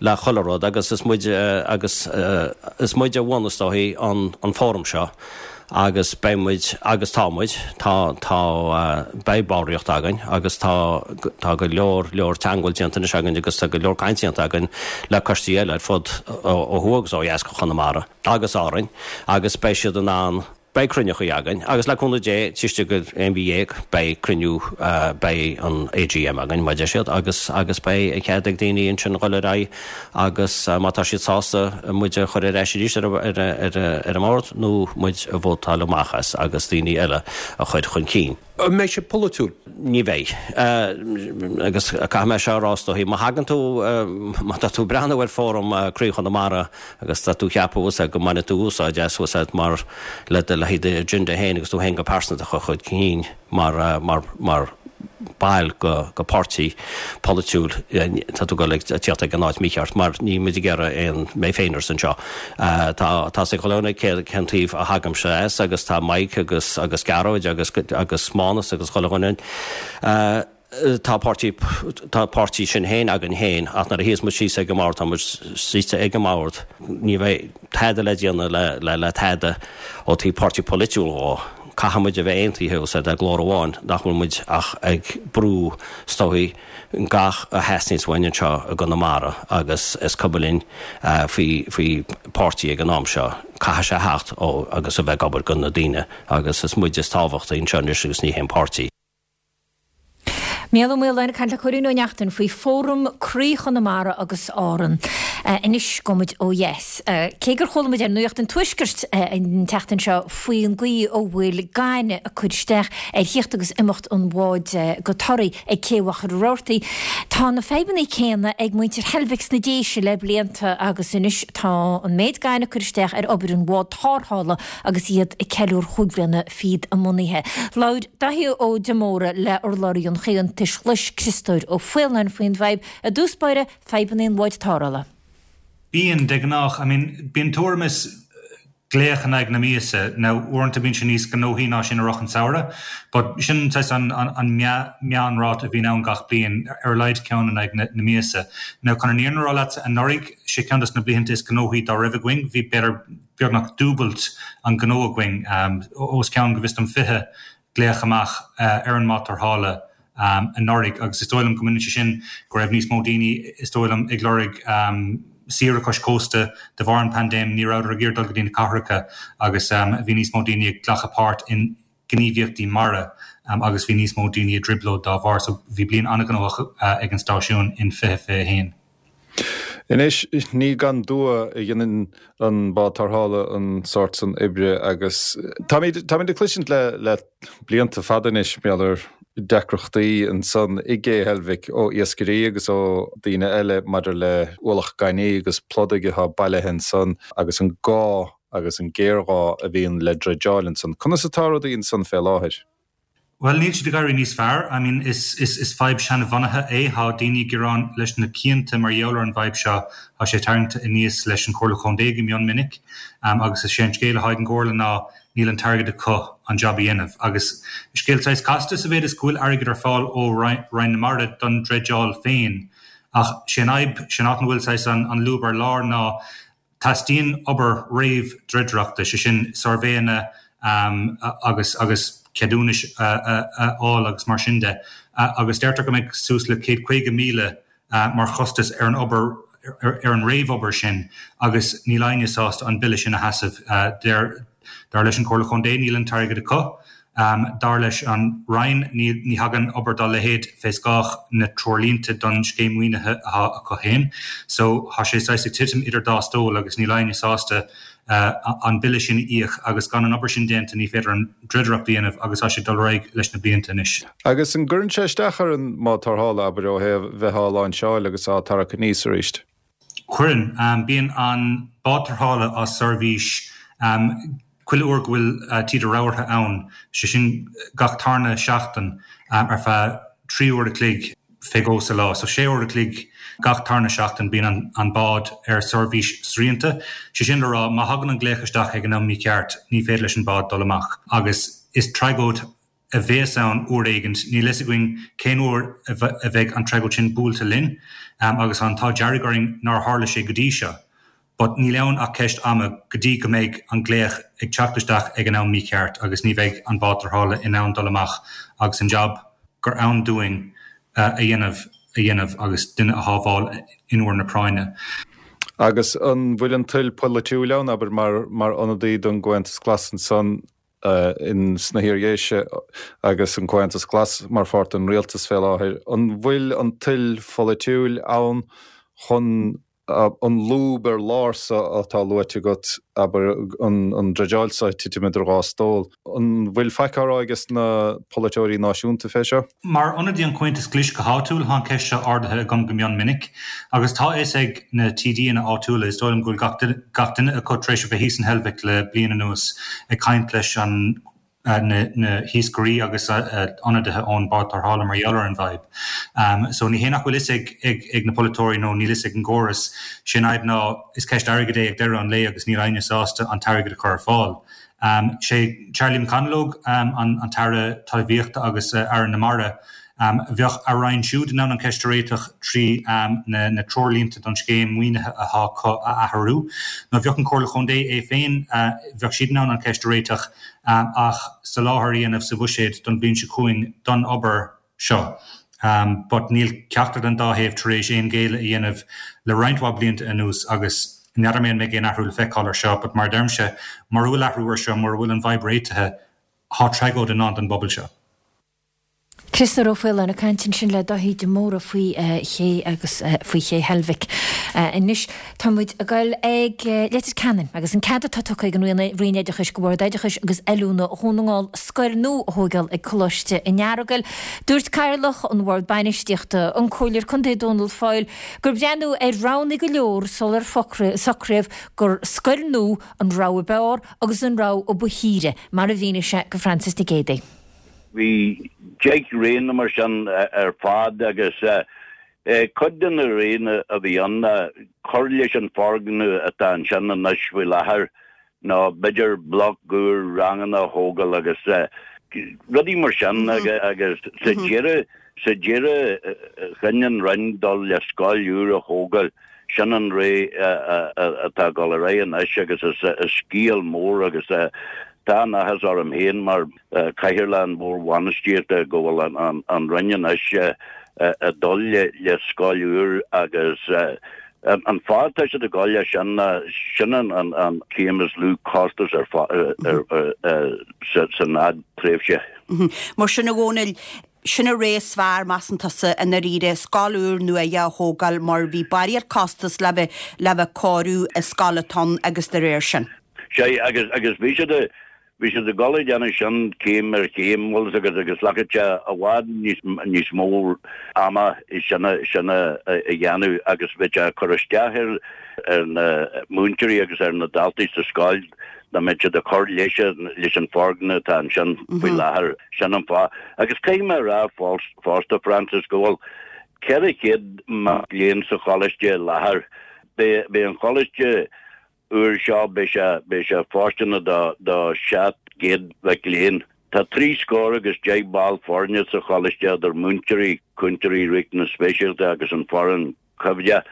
le chuile rud agus is muid agus is muid a bhunaigh is dóichí an an fóram seo agus beidh muid, agus tá muid, tá, tá, beidh ballraíocht againn agus tá, tá go leor, leor teagmháil déanta anois againn agus tá go leor caint déanta againn le coistí eile ar fud, ó thuaidh agus ó dheas go Chonamara agus Árainn agus beidh siad in ann, beidh cruinneachaí againn agus le cúnamh Dé, taobh istigh de aon mhí dhéag beidh cruinniú, beidh an AGM againn, mar a deir siad, agus, agus beidh an cead ag daoine ansin a dhul ar aghaidh agus má tá siad sásta muid a chur ar ais arís ar ar an mbord nó muid a vótáil amach as agus daoine eile a chur chun cinn. An mbeidh sé polaitiúil? Ní bheidh. Agus caithfidh mé seo a rá is dóichí, má thagann tú, má tá tú ag breathnú ar Fóram Croí Chonamara agus tá tú ag ceapadh go mbainfidh tú úsáid as mar le do le haghaidh d'agenda féin agus tú féin go pearsanta a chur chun cinn mar mar mar ball go páirtí polaitiúil, tá tú ag dul ag tíocht ag an áit mícheart mar níl muid ag iarraidh aon mé féiners anseo. Tá tá a fhios ag chuile dhuine cén taobh a thagaimse as agus tá Mike agus agus Gearóid agus agus Mánas agus chuile dhuine. Tá páirtí tá páirtí Sinn Féin againn féin ach nuair a shuíos muid síos ag an mbord tá muid suite ag an mbord. Ní bheidh tada le déanamh le le le tada ó taobh páirtí polaitiúil dhó. Caithfidh muid a bheith aontaithe os le glór amháin nach bhfuil muid ach ag brú is dóichí gach a theastaíonns uainn anseo i gConamara agus is cuma linn faoi faoi páirtí ag an am seo. Caithfidh sé a theacht ó agus a bheith ag obair do na daoine agus is muid is tábhachtaí anseo anois agus ní haon páirtí. Mícheál Ó Maoláin ag caint le Cóilín Ó Neachtain faoi Fóram Croí Chonamara agus Árann. Anois gabhfaidh muid ó dheas. Cé gur chuala muid ar Nuacht an Tuaiscirt an tseachtain seo faoin gcaoi a bhfuil gaineamh ag cur isteach ar thíocht agus imeacht an bháid go Toraigh ag Cé Mhachaire Rabhartaigh, tá na fadhbanna céanna ag muintir Heilbhic sna Déise le blianta agus anois tá an méid gainimh ag cur isteach ar obair an bhád tarrthála agus iad ag ceiliúradh chúig bhliana fichead a mbunaithe. Labhair Daithí Ó Diomóra le urlabhraí an Chomhaontais Ghlais, Criostóir Ó Faoláin faoin bhfadhb, i dtús báire, fadhbanna an bháid tarrthála. Bíonn, de ghnách. I mean, bíonn tuairim is glaoch in aghaidh na míosa. Now, uaireanta bíonn sé níos gnóthaí ná sin i rith an samhradh, but sin saghas an, an, an meánráta a bhíonn ann gach bliain, ar a laghad ceann in aghaidh na, na míosa. Now, chun an fhírinne a rá leatsa, anuraidh, sé ceann dos na blianta is gnóthaí dá raibh againn, bhí b'fhéidir beagnach dúbailt an gnó againn, os cionn, go bhfios dom, fiche glaoch amach ar an mbád tarrthála anuraidh agus is dóigh liom go mbaineann sé sin go raibh níos mó daoine, is dóigh liom, ag lorg saoire cois cósta de bharr an paindéim, ní rabhadar ag iarraidh dul go dtí na cathracha agus bhí níos mó daoine ag glacadh páirt in gníomhaíochtaí mara agus bhí níos mó daoine i dtrioblóid dá bharr. So bhí bliain an-ghnóthach ag an stáisiún in fiche fiche a haon. Anois, ní gan dua a dhéanann an bád tarrthála an sórt san oibre agus táimid táimid ag cloisint le le blianta fada anois mar gheall ar deacrachtaí ansan i gCé Heilbhic ó iascairí agus ó daoine eile maidir le ualach gainimh agus pludaigh atá bailithe ansan agus an gá agus an géarghá a bhíonn le dreideáil ansan. Conas atá rudaí ansan fé láthair? Bhuel, níl siad ag éirí níos fearr. I mean, is, is, is fadhb seanbhunaithe é. Tá daoine ag gearán leis na cianta mar gheall ar an bhfadhb seo. Tá sé tarraingte aníos leis an Chomhairle Chontae go mion minic. Agus is é an scéal atá ag an gComhairle ná níl an t-airgead acu an jab a dhéanamh. Agus scéal saghas casta sa mhéid is go bhfuil airgead ar fáil ó Roinn na Mara don dreideáil féin. Ach sé an fhadhb, sé an áit ina bhfuil saghas an, an lúb ar lár ná Teastaíonn obair réamh-dreidireachta, sé sin suirbhéanna agus agus ceadúnais a fháil agus mar sin de, agus deirtear go mbeidh suas le céad caoga míle mar chostas ar an obair ar an réamhobair sin agus níl éinne sásta an bille sin a sheasamh. Dar leis an Chomhairle Chontae níl an t-airgead acu. Dar leis an Roinn, ní thagann obair dá leithéid fé scáth na treoirlínte don scéim maoinithe atá acu féin. So tá sé saghas ag titim idir dá stól agus níl éinne sásta an bille sin a íoc agus gan an obair sin déanta ní féidir an dreidireacht a dhéanamh agus tá sé ag dul ar aghaidh leis na blianta anois. Agus an gcuireann sé isteach ar an mbád tarrthála, abair, ó thaobh bheith á láinseáil agus á tarrac aníos arís? Cuireann. Bíonn an bád tarrthála as seirbhís chuile uair go bhfuil taoide rabhartha ann, sé sin gach tarna seachtain ar feadh trí uair a chloig fé dhó sa lá. So sé uair a chloig gach tarna seachtain bíonn an bád ar seirbhís srianta. Sé sin le rá má thagann an glaoch isteach ag an am mícheart ní féidir leis an bád dul amach agus is tragóid a bhéas ann uair éigint. Níl fhios againn cén uair a bheidh an tragóid sin buailte linn agus tá an t-ádh dearg orainn nár tharla sé go dtí seo. But níl ann ach ceist ama go dtí go mbeidh an glaoch ag teacht isteach ag an am mícheart agus ní bheidh an bád tarrthála in ann dul amach agus an jab gur ann dúinn a dhéanamh a dhéanamh agus duine a shábháil in uair na práinne. Agus an bhfuil an toil polaitiúil ann, abair, mar mar ionadaí don gComhaontas Glas ansan in sna hIar-Dhéise agus an Comhaontas Glas mar pháirt den rialtas fé láthair, an bhfuil an toil pholaitiúil ann chun an lúb ar lár so atá luaite agat, abair, an dreideáil so ag titim idir dhá stól. An bhfuil faic á rá ages na polaiteoirí náisiúnta fé seo? Mar ionadaí an Chomhaontais Ghlais go háitiúil, tá an cheist seo ardaithe agam go mion minic agus tá a fhios ag na TDanna áitiúla, is dóigh liom go bhfuil gach duine acu tar éis a bheith thíos in Heilbhic le bliain anuas ag caint leis an na hiascairí agus ionadaithe ón bád tarrthála mar gheall ar an bhfadhb. So ní hé nach bhfuil fhios ag ag na polaiteoirí nó níl fhios ag an gcóras, sé an fhadhb ná is ceist airgid é ag deireadh an lae agus níl éinne sásta an t-airgead a chur ar fáil. Sé Charlie McConalogue an tAire Talmhaíochta agus Aire na Mara. Bheadh a roinn siúd in ann an cheist a réiteach trí na treoirlínte don scéim maoinithe atá acu a athrú. Nó bheadh an Chomhairle Chontae é féin, bheadh siad in ann an cheist a réiteach ach soláthar a dhéanamh sa bhuiséad don bhliain seo chugainn don obair seo. But níl ceachtar den dá thaobh tar éis aon ghéilleadh a dhéanamh le roinnt mhaith blianta anuas agus n'fheadar mé an mbeidh aon athrú le feiceáil ar seo, but mar a deirimse, mura bhfuil athrú ar seo, mura bhfuil an bhfadhb réitithe, tá tragóid i ndán don bpobal seo. Criostóir Ó Faoláin ag caint ansin le Dáithí de Mórdha faoi ché agus faoi ché Heilbhic. Anois tá muid ag dul ag Leitir Ceanainn agus an cead atá tugtha ag an Roinn Oideachais go Bhord Oideachais agus Oiliúna Dhún na nGall scoil nua a thógáil ag Coláiste an Earagail. Dúirt Cathaoirleach an Bhord Bainistíochta, an Comhairleoir Contae Dónal Foyle, gur breathnaíodh ar roghanna go leor sular socraíodh gur scoil nua an rogha ab fhearr agus an rogha a ba shaoire, mar a mhínigh sé go Frances Nic Géadaigh. Bhí deich roghanna mar sin ar fad agus cuid de na roghanna a bhí ann ná cur leis an foirgneamh atá ansin anois faoi láthair nó b'fhéidir bloc úr ranganna a thógáil agus rudaí mar sin agus sa deireadh sa deireadh chinn an Roinn dul le scoil úr a thógáil. Sin an rogha atá ag dul ar aghaidh anois agus is scéal mór agus tá an-áthas orm féin mar Chathaoirleach an Bhoird Bhainistíochta go bhfuil an Roinn anois ag dul le scoil úr agus an fáth atá siad ag dul leis sin ná sin an chéim is lú costas ar san fhadtréimhse. Mar sin a Dhónaill, Sin an rogha is fearr, measann tusa, i ndáiríre, scoil úr nua a thógáil mar bhí barraíocht costas le bheith le bheith cóiriú an scoil atá ann agus dá réir sin. Sea, agus agus bhí siad a bhí siad ag dul ag déanamh sin céim ar chéim, bhfuil fhios agat, agus ghlacfadh sé i bhfad níos níos mó ama sin a sin a a dhéanamh agus bheadh sé ag cur isteach ar ar na múinteoirí agus ar na daltaí sa scoil dá mbeadh siad ag cur leis leis an foirgneamh atá ansin faoi láthair. Sin an fáth. Agus caithfidh mé a rá fosta, Frances, go bhfuil ceithre chéad mac léinn sa choláiste i láthair. Beidh beidh an choláiste úr seo, beidh sé beidh sé fóirsteanach do do seacht gcéad mhic léinn. Tá trí scór agus deich ball foirne sa choláiste idir múinteoirí, cúntóirí riachtanas speisialta agus an foireann choimhdeach.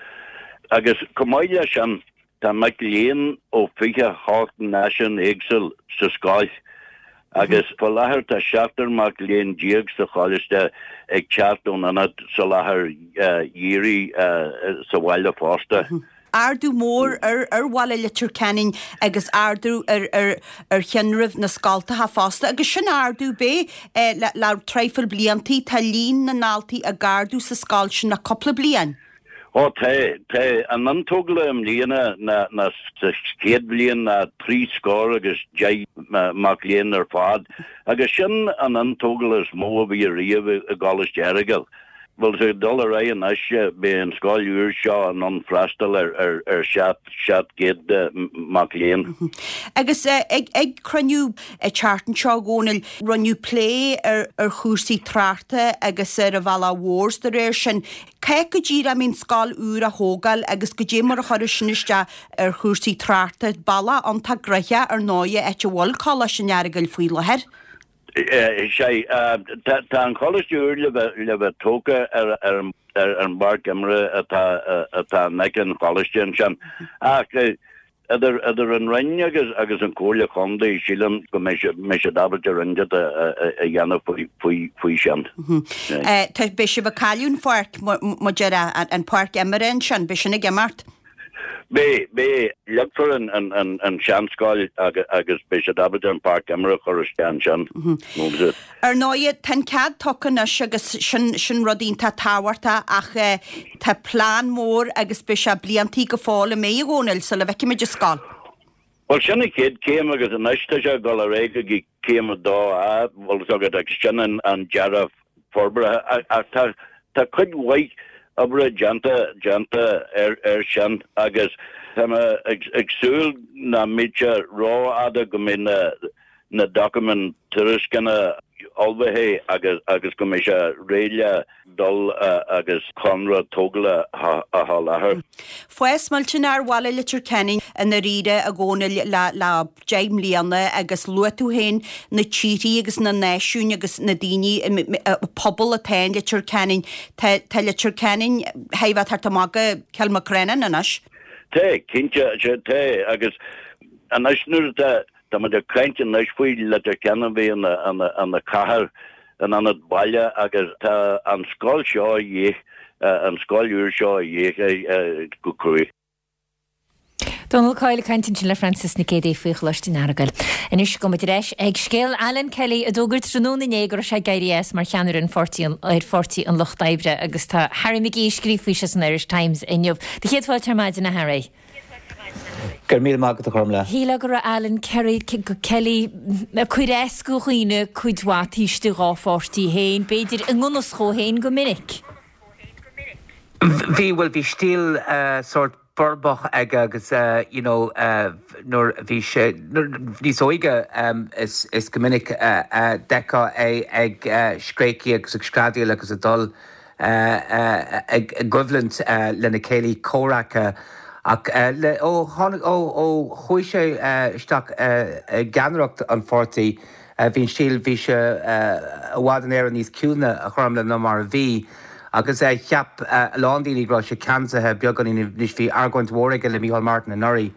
Agus chomh maith leis sin, Tá mic léinn ó fiche a hocht náisiún éagsúil sa scoil agus faoi láthair tá seachtar mac léinn déag sa choláiste ag teacht ón ionad soláthair dhírigh sa bhaile fosta. Ardú mór ar ar bhaile Leitir Ceanainn agus ardú ar ar ar thinreamh na scoltacha fosta agus sin ardú bé le le traidhfil bliantaí tá líon na ndaltaí ag ardú sa scoil sin le cúpla bliain. Ó tá, tá an iontógáil i mbliana ná ná sa chéad bhliain ná trí scór agus deich mac léinn ar fad agus sin an iontógáil is mó a bhí ariamh i gColáiste Aireagail. Bhuel, ag dul ar aghaidh anois, beidh an scoil úr seo in ann freastal ar ar ar seacht seacht gcéad mac léinn. Agus ag ag cruinniú an tseachtain seo, a Dhónaill, rinneadh plé ar ar chúrsaí tráchta agus ar an bhealach mhór is de réir sin. Cá go díreach a mbíonn scoil úr á thógáil agus goidé mar a chuirfeadh sin isteach ar chúrsaí tráchta. Bealach iontach gnoitheach ar ndóighe áit a bhfuil Coláiste an Earagail faoi láthair. Sea, tá an Choláiste úr le bheith tógtha ar an bpáirc imeartha atá in aice an Choláiste ansin. Ach idir an Roinn agus an Chomhairle Chontae, sílim go mbeidh siad ábalta rud inteacht a dhéanamh faoi sin. Beidh sibh ag cailleadh an pháirc, mar a déarfá, an pháirc imeartha ansin, beidh sin ag imeacht. Beidh, beidh. Leagfar an seanscoil agus beidh siad ábalta an pháirc imeartha a chur isteach ansin. Ar ndóighe, tá an cead tugtha anois agus sin, sin rud iontach tábhachtach ach tá plean mór agus beidh sé bliantaí go fóill an mbeidh, a Dhónaill, sula bhfeicfimid an scoil. Bhuel, sin an chéad chéim agus anois tá sé ag dul ar aghaidh go dtí céim a dó A, bhfuil fhios agat, agus sin an dearadh forbartha ach tá, tá cuid mhaith oibre déanta déanta air air sin agus tá mé ag ag súil nach mbeidh sé rófhada go mbeidh na na doiciméid tairisceana ullmhaithe agus agus go mbeidh sé réidh le dul agus conradh tógála a sholáthar. Fás millteanach ar bhaile Leitir Ceanainn i ndáiríre a Dhónaill le le deich mbliana agus luaigh tú féin na tíorthaí agus na náisiúin agus na daoine, an pobal atá in Leitir Ceanainn. Tá tá Leitir Ceanainn thar a bheith thart amach go Cill Mhacréanainn anois. Tá, cinnte, tá agus anois nuair atá Tá muid ag caint anois faoi Leitir Ceanainn a bheith ina ina cathair in ionad baile agus tá an scoil seo a dhíth, an scoil úr seo a dhíth go cruaidh. Dónal Coyle ag caint ansin le Frances Nic Géadaigh faoi Choláiste an Earagail. Anois gabhfaidh muid ar ais ag scéal Alan Kelly a d'fhógair tráthnóna inné go raibh sé ag éirí as mar cheannaire an pháirtí ar Pháirtí an Lucht Oibre agus tá Harry McGee ag scríobh faoi seo san Irish Times inniu. Do chéad fáilte ar maidin a Harry. Go raibh míle maith agat a Ghormfhlaith. Shílfeá go raibh Alan Kerry, Kelly ag cur as do dhaoine cuid mhaith taobh istigh dhá pháirtí féin, b'fhéidir i ngan fhios dhó féin go minic. Bhí, bhuel bhí stíl sórt borbach aige agus you know nuair a bhí sé níos óige is is go minic a d'fheicfeá é ag scréachaíl agus ag screadaíl agus ag dul ag coimhlint lena chéilí comhraic ach ó tháinig, ó chuaigh sé isteach i gceannaireacht an pháirtí, bhí an stíl, bhí sé i bhfad in Éirinn níos ciúine a Ghormfhlaith ná mar a bhí agus cheap a lán daoine go raibh sé ceansaithe beagáinín anois. Bhí argóint mhór aige le Micheál Martin anuraidh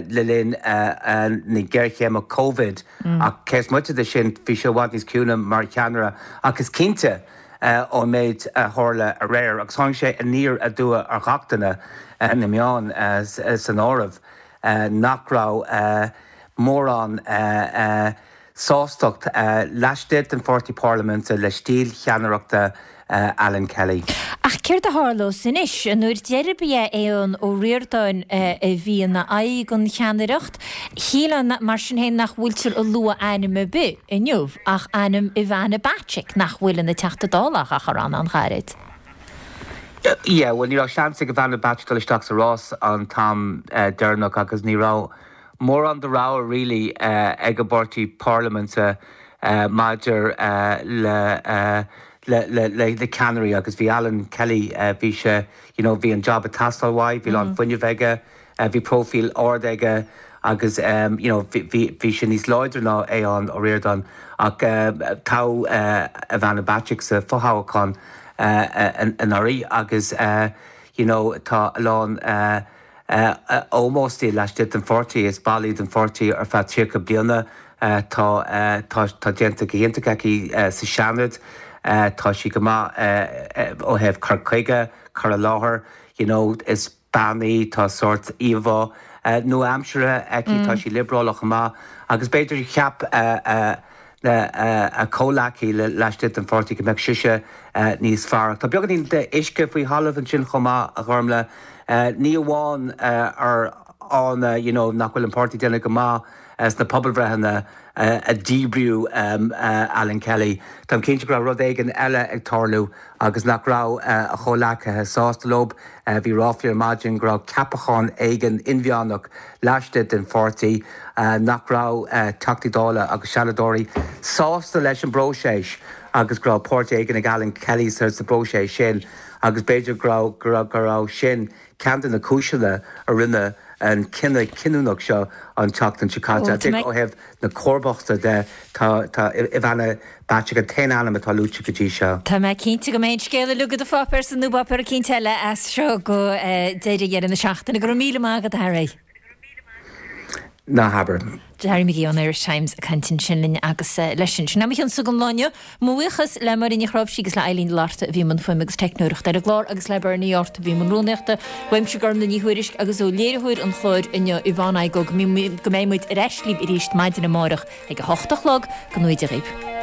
le linn na géarchéime Covid ach cé is moite de sin bhí sé i bhfad níos ciúine mar cheannaire ach is cinnte ón méid a tharla aréir, agus tháinig sé aniar aduaidh ar ghach duine, na meáin san áireamh, nach raibh mórán sástacht laistigh den pháirtí parlaiminte le stíl cheannaireachta Alan Kelly. Ach céard a tharlós anois? An uair deiridh ba é Aodhán Ó Ríordáin a bhí ina aghaidh don cheannaireacht. Shílfeá mar sin féin nach bhfuiltear ag lua ainm ar bith inniu ach ainm Ivana Bacik, nach bhfuil ina Teachta Dála ach ar fhad an-ghairid. Yeah, bhuel ní raibh seans ag Ivana Bacik dul isteach sa rás an t-am deireanach agus ní raibh mórán de rogha really ag an bpáirtí parlaiminte maidir le le ceannairí agus bhí Alan Kelly, bhí sé, you know, bhí an job ag teastáil uaidh, bhí a lán fuinnimh aige, bhí próifíl ard aige agus you know bhí bhí sé níos láidre ná Aodhán Ó Ríordáin ach toghadh Ivana Bacik sa fothoghchán anuraidh agus you know tá a lán ómós di laistigh den pháirtí, is ball í den pháirtí ar feadh tríocha bliana. Tá tá déanta go hiontach aici sa Seanad. Tá sí go maith ó thaobh cur chuige, cur i láthair, you know, is bean í, tá sórt íomhá nua-aimseartha aici, tá sí liobrálach chomh maith agus b'fhéidir cheap a comhleacaí laistigh den pháirtí go mbeadh sise níos fearr. Tá beagáinín d'uisce faoi thalamh ansin chomh maith, a Ghormlaith. Ní amháin ar fháthanna you know nach bhfuil an páirtí ag déanamh go maith sna pobalbhreitheanna a díbríodh Alan Kelly. Táim cinnte go raibh rud éigin eile ag tarlú agus nach raibh a chomhleacaithe sásta leo. Bhí ráflaí ar maidin go raibh ceapachán éigin inmheánach laistigh den pháirtí nach raibh Teachtaí Dála agus Seanadóirí sásta leis an bpróiseas agus go raibh páirt éigin ag Alan Kelly sa bpróiseas sin agus b'fhéidir go raibh go raibh sin ceann de na cúiseanna a rinne an cinneadh cinniúnach seo an tseachtain seo caite. Ó thaobh na comharbachta de, tá Ivana Bacik an t-aon ainm atá luaite go dtí seo. Tá mé cinnte go mbeidh an scéal uilig i do pháipéar sa nó páipéar eicínt eile as seo go deireadh dheireadh na seachtaine. Go raibh míle maith agat, a Harry. Ná habair. Harry McGee ón Irish Times ag caint ansin linn agus leis sin. Sin é mo chionn-sa don lá inniu. Mo bhuíochas le Máire Ní Chnáimhsí agus le Eileen de Lorta a bhí i mbun fuaime agus teicneoireachta ar an gclár agus le Bernie Yortt a bhí i mbun rúnaíochta. Uaimse Gormlaith Ní Thuairisg agus ó léiritheoir an chláir inniu Yvonne Igoe go mbeidh muid ar ais libh arís maidin amárach ag a hocht a chlog. Go ngnóthaí Dia dhaoibh.